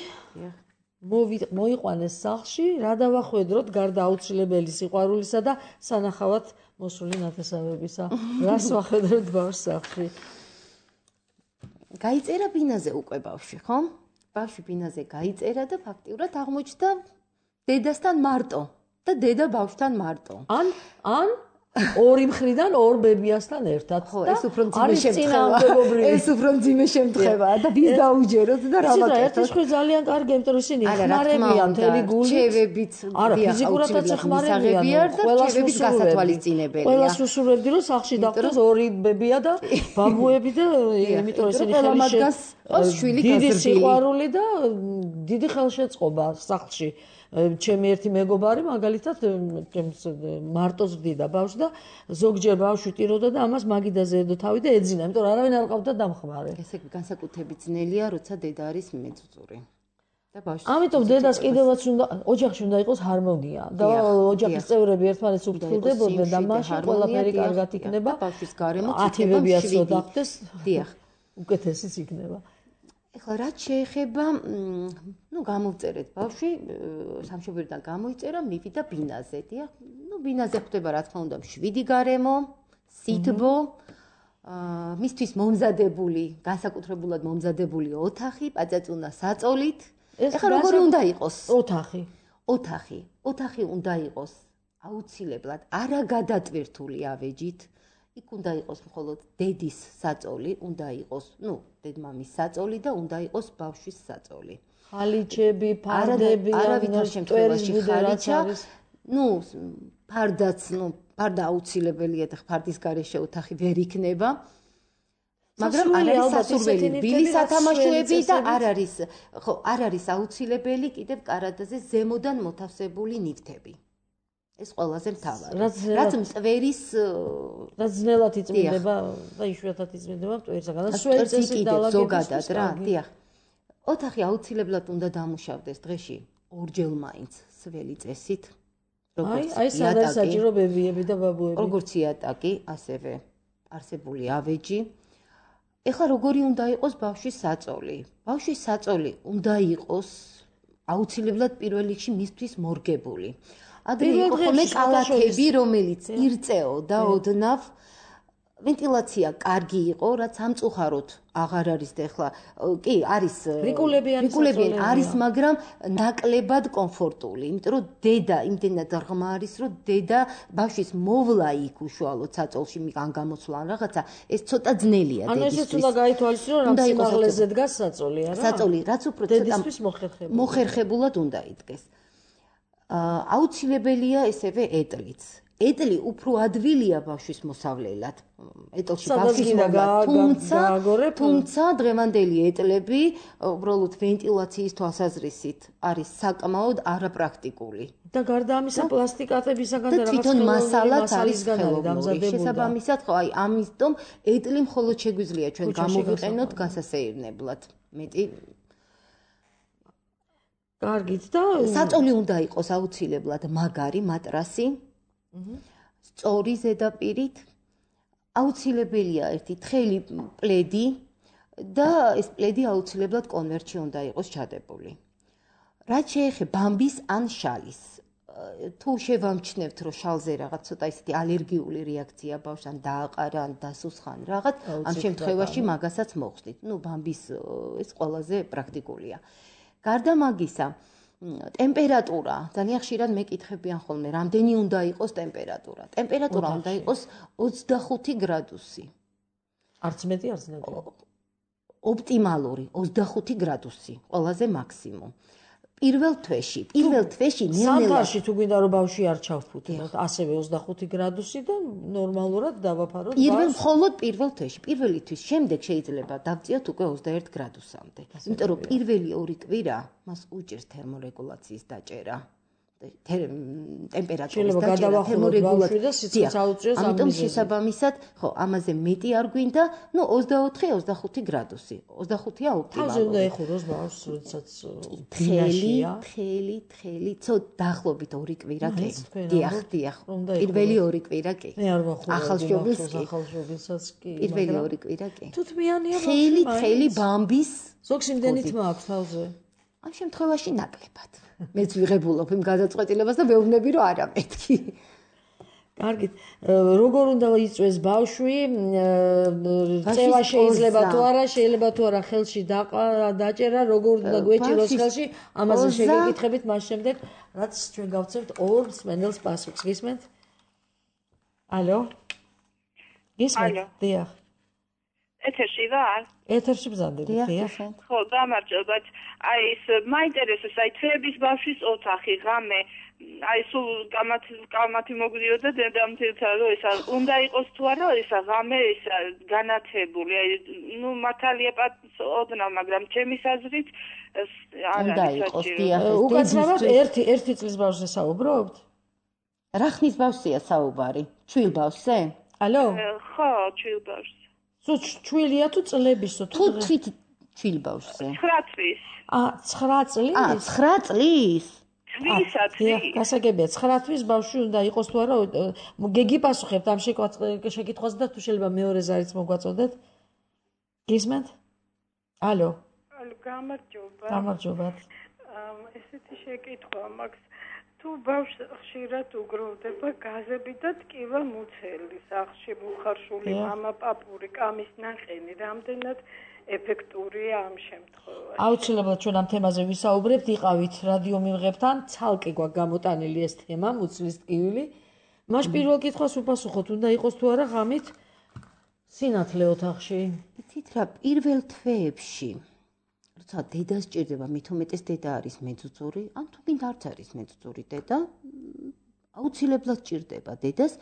[SPEAKER 2] მოიყვანეს სახლში, რა დავახვედროთ გარდა აუცილებელი სიყვარულისა და სანახავად მოსული ნათესავებისა. რას ვახვედროთ ბავშვს სახლში?
[SPEAKER 3] გაიწერა ბინაზე უკვე ბავშვი, ხო? ბავშვი ბინაზე გაიწერა და ფაქტიურად აღმოჩნდა დედასთან მარტო და დედა ბავშვთან მარტო.
[SPEAKER 2] ან ან ორი მხრიდან ორ ბებიასთან ერთად.
[SPEAKER 3] ხო, ეს უფრო მძიმე შემთხვევა. ეს უფრო მძიმე შემთხვევაა და ვის დაუჯეროთ და რა ვაკეთოთ?
[SPEAKER 2] ეს ხო ძალიან კარგი, იმიტომ რომ ისინი ხმარებიან მთელი გულით.
[SPEAKER 3] ჩევებით,
[SPEAKER 2] არა, ფიზიკურადაც ხმარებიან,
[SPEAKER 3] ყველას გასათვალისწინებელია.
[SPEAKER 2] ყველას უსურვებდი რომ სახლში დავყოს ორი ბებია და ბაბუები და იმიტომ რომ ისინი
[SPEAKER 3] ხელი
[SPEAKER 2] დიდი სიყვარული და დიდი ხელშეწყობა სახლში. ჩემი ერთი მეგობარი მაგალითად მარტოს ვდიდა ბავშვს და ზოგჯერ ბავშვი ტიროდა და ამას მაგიდაზე ედო თავი და ეძინა, იმიტომ რომ არავინ არ ყავდა დამხმარე.
[SPEAKER 3] ესე განსაკუთრებით ძნელია, როცა დედა არის მეწუწური. და ბავშვი.
[SPEAKER 2] ამიტომ დედას კიდევაც უნდა ოჯახში უნდა იყოს ჰარმონია და ოჯახის წევრები ერთმანეთს უფრთხილდებოდნენ და მაშინ ყველაფერი კარგად იქნება.
[SPEAKER 3] ბავშვის გარემო
[SPEAKER 2] ათივებიაც რო დახდეს.
[SPEAKER 3] დიახ.
[SPEAKER 2] უკეთესიც იქნება.
[SPEAKER 3] ეხლა რაც შეეხება, ნუ გამოვწერეთ ბავშვი, სამშობლოდან გამოიწერა, მივიდა ბინაზე, დიახ. ნუ ბინაზე ხდება რა თქმა უნდა შვიდი გარემო, სითბო, აა მისთვის მომზადებული, განსაკუთრებულად მომზადებული ოთახი, პაწაწუნა საწოლით. ეხლა როგორი უნდა იყოს?
[SPEAKER 2] ოთახი.
[SPEAKER 3] ოთახი. ოთახი უნდა იყოს აუცილებლად არაგადატვირთული ავეჯით. იქ უნდა იყოს მხოლოდ დედის საწოლი, უნდა იყოს, ნუ, დედმამის საწოლი და უნდა იყოს ბავშვის საწოლი.
[SPEAKER 2] ხალიჩები, ფარდები,
[SPEAKER 3] არავითარ შემთხვევაში ხალიჩა, ნუ, ფარდაც, ნუ, ფარდა აუცილებელია და ფარდის გარეშე ოთახი ვერ იქნება. მაგრამ არ არის სასურველი ბილი სათამაშოები და არ არის, ხო, არ არის აუცილებელი კიდევ კარადაზე ზემოდან მოთავსებული ნივთები. ეს ყველაზე მთავარი. რაც მტვერის
[SPEAKER 2] რაც ძნელად იწმინდება და იშვიათად იწმინდება მტვერისაგან. სვეცესი
[SPEAKER 3] ზოგადად რა, დიახ. ოთახი აუცილებლად უნდა დამუშავდეს დღეში ორჯერ მაინც სველი წესით.
[SPEAKER 2] აი, აი სადაც საჭირო ბებიები და ბაბუები.
[SPEAKER 3] როგორც იატაკი, ასევე არსებული ავეჯი. ეხლა როგორი უნდა იყოს ბავშვის საწოლი? ბავშვის საწოლი უნდა იყოს აუცილებლად პირველ რიგში მისთვის მორგებული. ადრე იყო ხოლმე კალათები, რომელიც ირწეოდა ოდნავ. ვენტილაცია კარგი იყო, რაც სამწუხაროდ აღარ არის და ეხლა კი არის
[SPEAKER 2] რიკულებიანი
[SPEAKER 3] არის, მაგრამ ნაკლებად კომფორტული, იმიტომ რომ დედა იმდენად ღრმა არის, რომ დედა ბავშვის მოვლა იქ უშუალოდ საწოლში ან გამოსვლა ან რაღაცა, ეს ცოტა ძნელია
[SPEAKER 2] დედისთვის. ანუ ესეც უნდა გაითვალისწინოს, რომ სიმაღლეზე დგას საწოლი, არა?
[SPEAKER 3] საწოლი, რაც უფრო
[SPEAKER 2] დედისთვის მოხერხებულად.
[SPEAKER 3] მოხერხებულად უნდა იდგეს. აუცილებელია ესევე ეტლიც. ეტლი უფრო ადვილია ბავშვის მოსავლელად. ეტლში ბავშვის მოსავლა, თუმცა თუმცა დღევანდელი ეტლები უბრალოდ ვენტილაციის თვალსაზრისით არის საკმაოდ არაპრაქტიკული.
[SPEAKER 2] და გარდა ამისა პლასტიკატებისაგან და
[SPEAKER 3] რაღაც თვითონ მასალაც არის დამზადებული. შესაბამისად, ხო, აი ამიტომ ეტლი მხოლოდ შეგვიძლია ჩვენ გამოვიყენოთ გასასეირნებლად. მეტი
[SPEAKER 2] კარგით და
[SPEAKER 3] საწოლი უნდა იყოს აუცილებლად მაგარი მატრასი. სწორი ზედაპირით აუცილებელია ერთი თხელი პლედი და ეს პლედი აუცილებლად კონვერტში უნდა იყოს ჩადებული. რაც შეეხება ბამბის ან შალის, თუ შევამჩნევთ, რომ შალზე რაღაც ცოტა ისეთი ალერგიული რეაქცია ბავშვს ან დააყარა ან დასუსხან რაღაც, ამ შემთხვევაში მაგასაც მოხდით. ნუ ბამბის ეს ყველაზე პრაქტიკულია. გარდა მაგისა, ტემპერატურა, ძალიან ხშირად მეკითხებიან ხოლმე, რამდენი უნდა იყოს ტემპერატურა? ტემპერატურა უნდა იყოს ოცდახუთი გრადუსი.
[SPEAKER 2] არც მეტი, არც ნაკლები.
[SPEAKER 3] ოპტიმალური ოცდახუთი გრადუსი, ყველაზე მაქსიმუმ. პირველ თვეში, პირველ თვეში ნელ-ნელა
[SPEAKER 2] ზამთარში თუ გვინდა რომ ბავშვი არ ჩავფუთოთ, ასევე ოცდახუთი გრადუსი და ნორმალურად დავაფაროთ ბავშვს.
[SPEAKER 3] პირველ მხოლოდ პირველ თვეში, პირველი თვის შემდეგ შეიძლება დავწიოთ უკვე ოცდაერთ გრადუსამდე. იმიტომ რომ პირველი ორი კვირა მას უჭირს თერმორეგულაციის დაჭერა. ტემპერატურის დაჭერა, თერმორეგულაცია. ამიტომ შესაბამისად, ხო, ამაზე მეტი არ გვინდა, ну ოცდაოთხი ოცდახუთი გრადუსი. ოცდახუთია ოპტიმალური.
[SPEAKER 2] თავზე უნდა ეხუროს ბავშვს, როდესაც
[SPEAKER 3] თხელი, თხელი, თხელი, ცოტ დაახლოებით ორი კვირა კი. დიახ, დიახ. პირველი ორი კვირა კი.
[SPEAKER 2] მე არ ვახურებ
[SPEAKER 3] ახალშობილს კი.
[SPEAKER 2] ახალშობილსაც კი.
[SPEAKER 3] პირველი ორი კვირა კი.
[SPEAKER 2] თუთმიანია ბავშვი.
[SPEAKER 3] თხელი, თხელი ბამბის.
[SPEAKER 2] ზოგს იმდენით მაქვს თავზე.
[SPEAKER 3] ამ შემთხვევაში ნაკლებად. მეც ვიღებულობ იმ გადაწყვეტილებას და ვეუბნები რომ არა მეთქი.
[SPEAKER 2] კარგით, როგორ უნდა იწვეს ბავშვი? წევა შეიძლება თუ არა, შეიძლება თუ არა ხელში დაჭერა, როგორ უნდა გვეჭიროს ხელში? ამაზე შეგეკითხებით მას შემდეგ, რაც ჩვენ გავცევთ ორ მსმენელს პასუხს. გისმენთ? ალო? გისმენთ? დიახ.
[SPEAKER 7] ეთერში ვარ?
[SPEAKER 2] ეთერში ბრძანდებით, დიახ.
[SPEAKER 7] ხო, გამარჯობათ. აი ეს მაინტერესებს, აი თვეების ბავშვის ოთახი, ღამე, აი სულ კამათი მოგვდიოდა დედამთილთან, რომ ისა უნდა იყოს თუ არა, ისა ღამე ისა განათებული, აი ნუ მართალია ოდნავ, მაგრამ ჩემის აზრით
[SPEAKER 3] უნდა იყოს, დიახ.
[SPEAKER 2] უკაცრავად ერთი ერთი წლის ბავშვზე საუბრობთ?
[SPEAKER 3] რა ხნის ბავშვია საუბარი? ჩვილ ბავშვზე?
[SPEAKER 2] ალო?
[SPEAKER 7] ხო, ჩვილ ბავშვზე.
[SPEAKER 2] თუ ჩვილია თუ წლებისო
[SPEAKER 3] თუ თვით ჩვილ ბავშვზე.
[SPEAKER 7] ცხრა წლის.
[SPEAKER 2] ა, ცხრა წლის?
[SPEAKER 3] ა, ცხრა წლის?
[SPEAKER 7] თვისა წლის.
[SPEAKER 2] გასაგებია, ცხრა წლის ბავშვი უნდა იყოს თუ არა? გეგიპასუხებთ ამ შეკითხვაზე და თუ შეიძლება მეორე ზარიც მოგვაწოდეთ? გისმენთ? ალო?
[SPEAKER 1] ალო, გამარჯობა.
[SPEAKER 2] გამარჯობათ.
[SPEAKER 1] ესეთი შეკითხვა მაქვს. თუ ბავშვს ხშირად უგროვდება გაზები და ტკივა მუცელი, სახლში მუხარშული, მამა პაპური, კამის ნაყენი, რამდენად ეფექტურია ამ შემთხვევაში?
[SPEAKER 2] აუცილებლად ჩვენ ამ თემაზე ვისაუბრებთ, იყავით რადიო მიმღებთან, ცალკე გვაქვს გამოტანილი ეს თემა, მუცლის ტკივილი. მას პირველ კითხვას უპასუხოთ, უნდა იყოს თუ არა ღამით სინათლე ოთახში?
[SPEAKER 3] იცით რა, პირველ თვეებში როცა დედა სჭირდება, მით უმეტეს დედა არის მეძუძური, ან თუ გინდა არც არის მეძუძური დედა, აუცილებლად სჭირდება დედას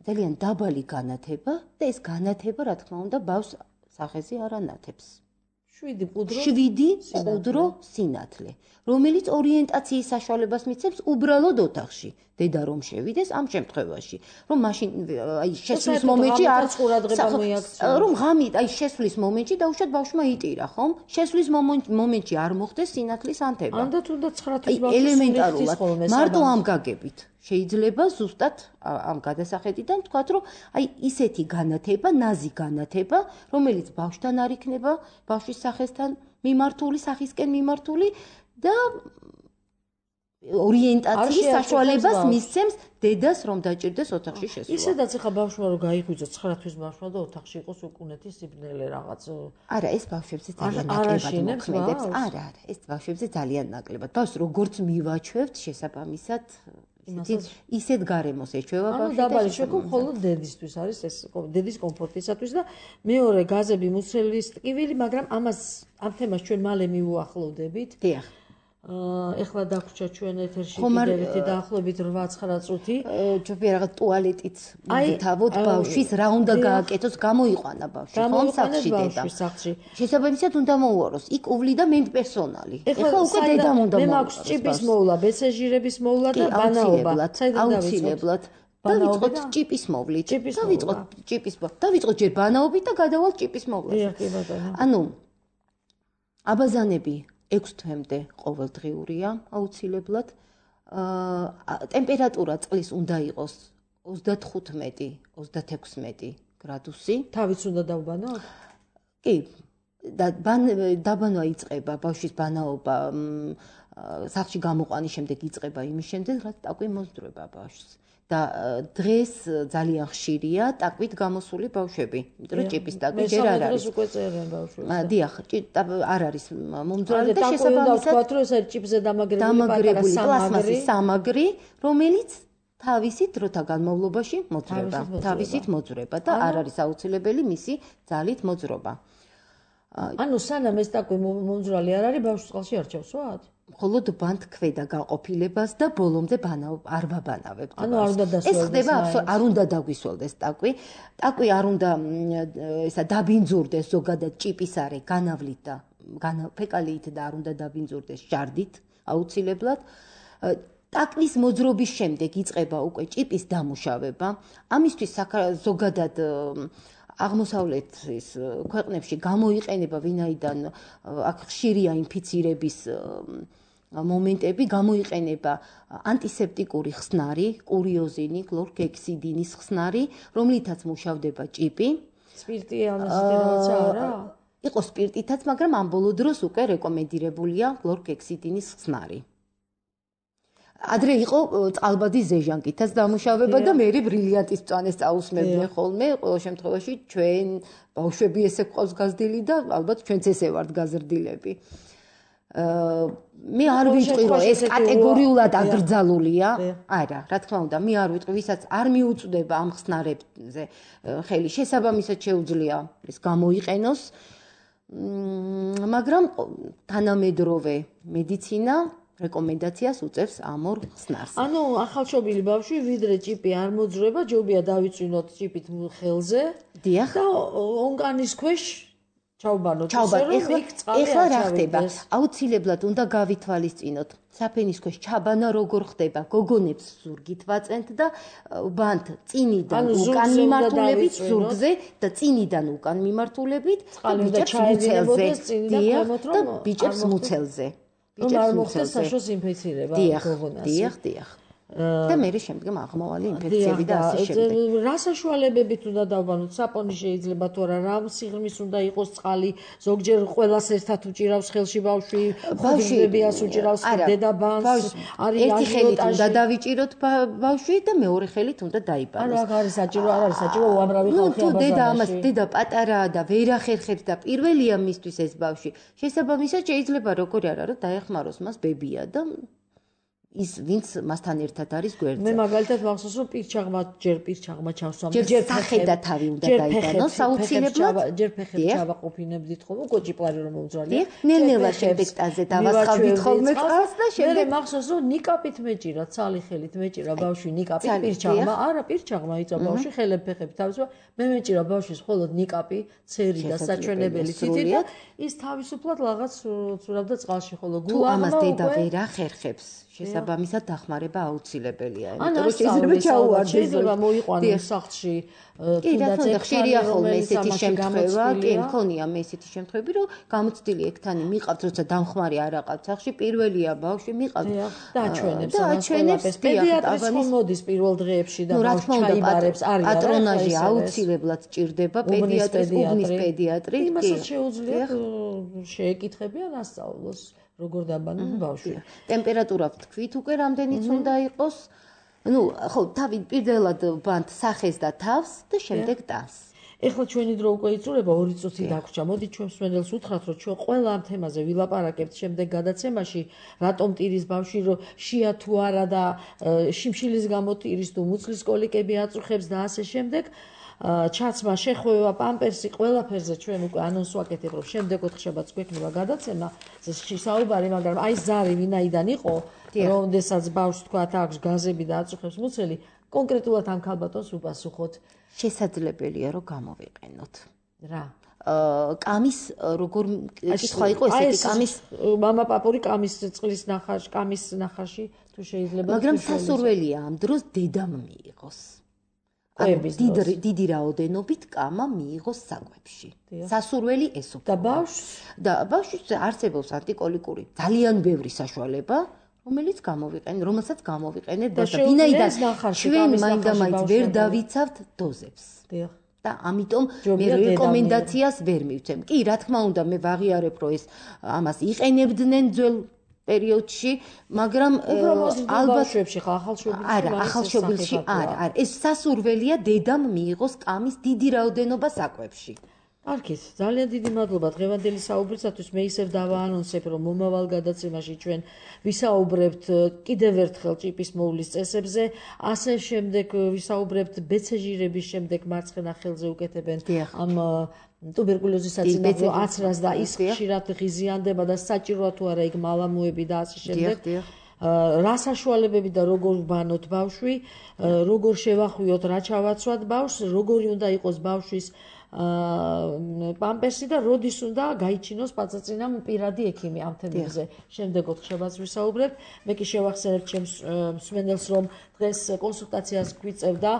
[SPEAKER 3] ძალიან დაბალი განათება და ეს განათება, რა თქმა უნდა, ბავშვს სახეზე არ ანათებს.
[SPEAKER 2] შვიდი ყუდრო
[SPEAKER 3] შვიდი ყუდრო სინათლე, რომელიც ორიენტაციის საშუალებას მიცემს უბრალოდ ოთახში. დედა რომ შევიდეს ამ შემთხვევაში, რომ მაშინ აი შესვლის მომენტში არ
[SPEAKER 2] ყურადღება მოიაქცია.
[SPEAKER 3] რომ ღამით აი შესვლის მომენტში დაუშვათ ბავშვმა იტირა, ხომ? შესვლის მომენტში არ მოხდეს სინათლის ანთება.
[SPEAKER 2] ანდ თუნდაც ცხრა თვის ბავშვი
[SPEAKER 3] ელემენტარულად მარტო ამ გაგებით შეიძლება ზუსტად ამ გადასახედიდან თქვათ, რომ აი ისეთი განათება, ნაზი განათება, რომელიც ბავშვთან არ იქნება, ბავშვის სახესთან მიმართული, სახისკენ მიმართული და ორიენტაციის საშუალებას მისცემს დედას რომ დაჭირდეს ოთახში შესვლა.
[SPEAKER 2] ისედაც ახლა ბავშვმა რომ გაიღვიძოს ცხრა თვის ბავშვმა და ოთახში იყოს უკუნეთი სიბნელე რაღაც.
[SPEAKER 3] არა, ეს ბავშვებზე ძალიან ნაკლებად მოქმედებს. არა, არა, ეს ბავშვებზე ძალიან ნაკლებად. ბავშვს როგორც მივაჩვევთ შესაბამისად ისეთ გარემოს ეჩვევა ბავშვი.
[SPEAKER 2] ანუ დაბალი შექო მხოლოდ დედისთვის არის ეს დედის კომფორტისათვის და მეორე გაზები მუცლის ტკივილი, მაგრამ ამას ამ თემას ჩვენ მალე მივუახლოვდებით.
[SPEAKER 3] დიახ.
[SPEAKER 2] ეხლა დაგვრჩა ჩვენ ეთერში კიდევ დაახლოებით რვა ცხრა წუთი.
[SPEAKER 3] ჯობია რაღაც ტუალეტიც მივთავოთ ბავშვის, რა უნდა გააკეთოს, გამოიყვანა ბავშვი, ხომ სახლში დედა. შესაბამისად უნდა მოუაროს. იქ უვლი და მენტპერსონალი. ეხლა უკვე დედამ უნდა
[SPEAKER 2] მოუაროს. მე მაქვს ჭიპის მოვლა, ბეცეჟირების მოვლა და ბანაობა.
[SPEAKER 3] აუცილებლად. დავიწყოთ ჭიპის მოვლით. დავიწყოთ ჭიპის მოვლით. დავიწყოთ ჯერ ბანაობით და გადავალთ ჭიპის მოვლაზე. ანუ აბაზანები ექვს თვემდე ყოველდღიურია აუცილებლად. აა ტემპერატურა წყლის უნდა იყოს ოცდათხუთმეტი ოცდათექვსმეტი გრადუსი.
[SPEAKER 2] თავიც უნდა დავბანოთ?
[SPEAKER 3] კი. და დაბანვა იწყება, ბავშვის ბანაობა სახლში გამოყვანის შემდეგ იწყება იმის შემდეგ, რაც ტაკვი მოსდროება ბავშვს. და დღეს ძალიან ხშირია ტაკვით გამოსული ბავშვები, იმიტომ რომ ჭიპის ტაკვი ჯერ არ არის.
[SPEAKER 2] მე უკვე წერენ ბავშვებს.
[SPEAKER 3] დიახ, არ არის მომძრალი და შესაბამისად
[SPEAKER 2] ვთქვათ, რომ ეს არის ჭიპზე დამაგრებული
[SPEAKER 3] პლასმასის სამაგრი, რომელიც თავისი დროთა განმავლობაში მოძრება, თავისით მოძრება და არ არის აუცილებელი მისი ძალით მოძრობა.
[SPEAKER 2] ანუ სანამ ეს ტაკვი მომძრალი არ არის, ბავშვს წყალში არ ჩავსვათ?
[SPEAKER 3] მხოლოდ ბანთ ქვედა გაყოფილებას და ბოლომდე არ ვაბანავებთ.
[SPEAKER 2] ანუ არ უნდა დასველდეს.
[SPEAKER 3] ეს ხდება არ უნდა დაგვისველდეს ტაკვი. ტაკვი არ უნდა ესა დაბინძურდეს ზოგადად ჭიპის არე განავლით და ფეკალიით და არ უნდა დაბინძურდეს ჟარდით აუცილებლად. ტაკვის მოძრობის შემდეგ იწყება უკვე ჭიპის დამუშავება. ამისთვის ზოგადად აღმოსავლეთის ქვეყნებში გამოიყენება, ვინაიდან აქ ხშირია ინფიცირების მომენტები, გამოიყენება ანტისეპტიკური ხსნარი, კურიოზინი, კლორგექსიდინის ხსნარი, რომლითაც მუშავდება ჭიპი.
[SPEAKER 2] სპირტი ამასეთი რაღაცა არა?
[SPEAKER 3] იყო სპირტითაც, მაგრამ ამ ბოლო დროს უკვე რეკომენდირებულია კლორგექსიდინის ხსნარი. ადრე იყო წყალბადის ზეჟანკითაც დამუშავება და მე ბრილიანტის მწვანეს წაусმებდნენ ხოლმე, ყოველ შემთხვევაში ჩვენ ბავშვები ესე გვყავს გაზრდილი და ალბათ ჩვენც ესე ვართ გაზრდილები. მე არ ვიტყვი რომ ეს კატეგორიულად აკრძალულია. არა, რა თქმა უნდა, მე არ ვიტყვი, ვისაც არ მიუწვდება ამ ხსნარებზე ხელი, შესაბამისად შეუძლია ეს გამოიყენოს. მაგრამ თანამედროვე მედიცინა რეკომენდაციას უწევს ამ ორ ხსნარს.
[SPEAKER 2] ანუ ახალშობილი ბავშვი ვიდრე ჭიპი არ მოძრება, ჯობია დავიწვინოთ ჭიპით ხელზე.
[SPEAKER 3] დიახ.
[SPEAKER 2] და ონკანის ქვეშ ჩავბანოთ.
[SPEAKER 3] ეხლა რა ხდება? აუცილებლად უნდა გავითვალისწინოთ. საფენის ქვეშ ჩაბანა როგორ ხდება? გოგონებს ზურგით ვაწენთ და ბანთ წინიდან უკან მიმართულებით ზურგზე და წინიდან უკან მიმართულებით და ბიჭებს მუცელზე. დიახ, და ბიჭებს მუცელზე.
[SPEAKER 2] რომ არ მოხდეს საშუალო ინფექცირება გოგონას.
[SPEAKER 3] დიახ, დიახ. და მე შემდგომ აღმავალი ინფექციები და ასე შემდეგ.
[SPEAKER 2] რა საშუალებებით უნდა დავბანოთ? საპონი შეიძლება თუ არა, რა სიღრმის უნდა იყოს წყალი, ზოგჯერ ყველას ერთად უჭირავს ხელში ბავშვი, ხუძნებიას უჭირავს დედაბანს, არის
[SPEAKER 3] ერთი ხელით უნდა დავიჭიროთ ბავშვი და მეორე ხელით უნდა დაიბანოს.
[SPEAKER 2] არა, აქ არის საჭირო, არ არის საჭირო უამრავი ხალხი
[SPEAKER 3] აბაზანაში. თუ დედა ამას დედა პატარაა და ვერ ახერხებს და პირველია მისთვის ეს ბავშვი, შესაბამისად შეიძლება როგორი არა რომ დაეხმაროს მას ბებია და ის ვინც მასთან ერთად არის გვერდზე.
[SPEAKER 2] მე მაგალითად მახსოვს რომ პირჩაღმა ჯერ პირჩაღმა ჩავსვამ,
[SPEAKER 3] ჯერ სახე და თავი უნდა დაიბანოს აუცილებლად.
[SPEAKER 2] ჯერ ფეხებს ჩავაყოფინებდით ხოლმე, კოჭიპარი რომ მომძრალია.
[SPEAKER 3] ნელ-ნელა შემდეგ ტაზე დავასხავდით ხოლმე წყალს და შემდეგ
[SPEAKER 2] მე მახსოვს რომ ნიკაპით მეჭირა, ცალი ხელით მეჭირა ბავშვი ნიკაპით პირჩაღმა, არა პირჩაღმა იწვა ბავშვი ხელებ ფეხები თავის, მე მეჭირა ბავშვის მხოლოდ ნიკაპი, ცერი და საჩვენებელი თითი და ის თავისუფლად რაღაც ცურავდა წყალში, ხოლო
[SPEAKER 3] გულაღმა თუ ამას დედა ვერ ახერხებს შესაბამისად დახმარება აუცილებელია. იმიტომ რომ შეიძლება ჩაუვარდეს.
[SPEAKER 2] შეიძლება მოიყვანოს სახლში
[SPEAKER 3] თუნდაც ხშირია ხოლმე ესეთი შემთხვევა, კი, მქონია მე ესეთი შემთხვევები, რომ გამოცდილი ექთანი მიყავთ, როცა დამხმარე არ აყავთ სახლში, პირველია ბავშვი მიყავთ
[SPEAKER 2] და აჩვენებს
[SPEAKER 3] ამას ყველაფერს.
[SPEAKER 2] პედიატრის ხომ მოდის პირველ დღეებში და ბავშვი ჩაიბარებს, არის
[SPEAKER 3] პატრონაჟი აუცილებლად ჭირდება პედიატრის, უბნის პედიატრი.
[SPEAKER 2] იმასაც შეუძლია შეეკითხებიან ასწავლოს. როგორ დაბანონ ბავშვი.
[SPEAKER 3] ტემპერატურა ვთქვით უკვე რამდენიც უნდა იყოს. ნუ ხო, თავი პირველად ბანთ სახეს და თავს და შემდეგ ტანს.
[SPEAKER 2] ეხლა ჩვენი დრო უკვე იწურება ორი წუთი დაგვრჩა. მოდით ჩვენ მსმენელს უთხრათ, რომ ჩვენ ყველა ამ თემაზე ვილაპარაკებთ შემდეგ გადაცემაში, რატომ ტირის ბავშვი, რომ შია თუ არა და შიმშილის გამო ტირის თუ მუცლის კოლიკები აწუხებს და ასე შემდეგ. ჩაცმა, შეხვევა, პამპერსი, ყველაფერზე ჩვენ უკვე ანონს ვაკეთებ, რომ შემდეგ ოთხშაბათს გვექნება გადაცემა. საუბარი, მაგრამ აი ზარი ვინაიდან იყო, როდესაც ბავშვს თქვათ აქვს გაზები და აწუხებს მუცელი, კონკრეტულად ამ ქალბატონს უპასუხოთ.
[SPEAKER 3] შესაძლებელია რომ გამოვიყენოთ.
[SPEAKER 2] რა?
[SPEAKER 3] კამის როგორ კითხვა იყო ესეთი კამის
[SPEAKER 2] მამა პაპური კამის წყლის ნახარში, კამის ნახარში თუ შეიძლება.
[SPEAKER 3] მაგრამ სასურველია ამ დროს დედამ მიიღოს. დიდი დიდი რაოდენობით კამა მიიღოს საკვებში. სასურველი ეს უფრო.
[SPEAKER 2] და ბავშვს
[SPEAKER 3] და ბავშვს არსებობს ანტიკოლიკური ძალიან ბევრი საშუალება, რომელიც გამოვიყენ, რომელსაც გამოვიყენეთ და ვინაიდან ჩვენ მაინდა-მაინც ვერ დავიცავთ დოზებს.
[SPEAKER 2] დიახ.
[SPEAKER 3] და ამიტომ მე რეკომენდაციას ვერ მივცემ. კი, რა თქმა უნდა, მე ვაღიარებ, რომ ეს ამას იყენებდნენ ძველ პერიოდში, მაგრამ
[SPEAKER 2] ალბათ შვებში ხა ახალშობილში
[SPEAKER 3] არა, ახალშობილში არა, არა, ეს სასურველია დედამ მიიღოს კამის დიდი რაოდენობა საკვებში.
[SPEAKER 2] კარგით, ძალიან დიდი მადლობა დღევანდელი საუბრისათვის. მე ისევ დავაანონსებ, რომ მომავალ გადაცემაში ჩვენ ვისაუბრებთ კიდევ ერთხელ ჭიპის მოვლის წესებზე, ასე შემდეგ ვისაუბრებთ ბეცეჟირების შემდეგ მარცხენა ხელზე უკეთებენ ამ ტუბერკულოზის საწინააღმდეგო აცრას და ის ხშირად ღიზიანდება და საჭიროა თუ არა იქ მალამოები და ასე შემდეგ. რა საშუალებები და როგორ ვბანოთ ბავშვი, როგორ შევახვიოთ, რა ჩავაცვათ ბავშვს, როგორი უნდა იყოს ბავშვის პამპერსი და როდის უნდა გაიჩინოს პაცაცინამ პირადი ექიმი ამ თემებზე. შემდეგ ოთხშაბათს ვისაუბრებთ. მე კი შევახსენებ ჩემს მსმენელს, რომ დღეს კონსულტაციას გვიწევდა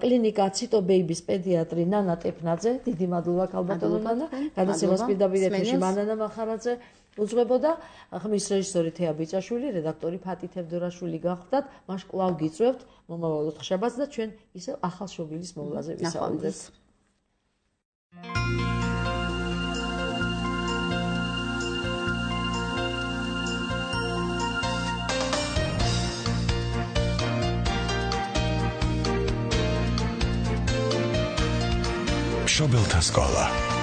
[SPEAKER 2] კლინიკა ციტო ბეიბის პედიატრი ნანა ტეფნაძე. დიდი მადლობა ქალბატონო ნანა. გადაცემას პირდაპირ ეთერში მანანა მახარაძე უძღვებოდა. ხმის რეჟისორი თეა ბიჭაშვილი, რედაქტორი ფატი თევდორაშვილი გახლდათ. მას კვლავ გიწევთ მომავალ ოთხშაბათს და ჩვენ ისევ ახალ შობილის მოვლაზე ვისაუბრებთ.
[SPEAKER 8] შობელთა სკოლა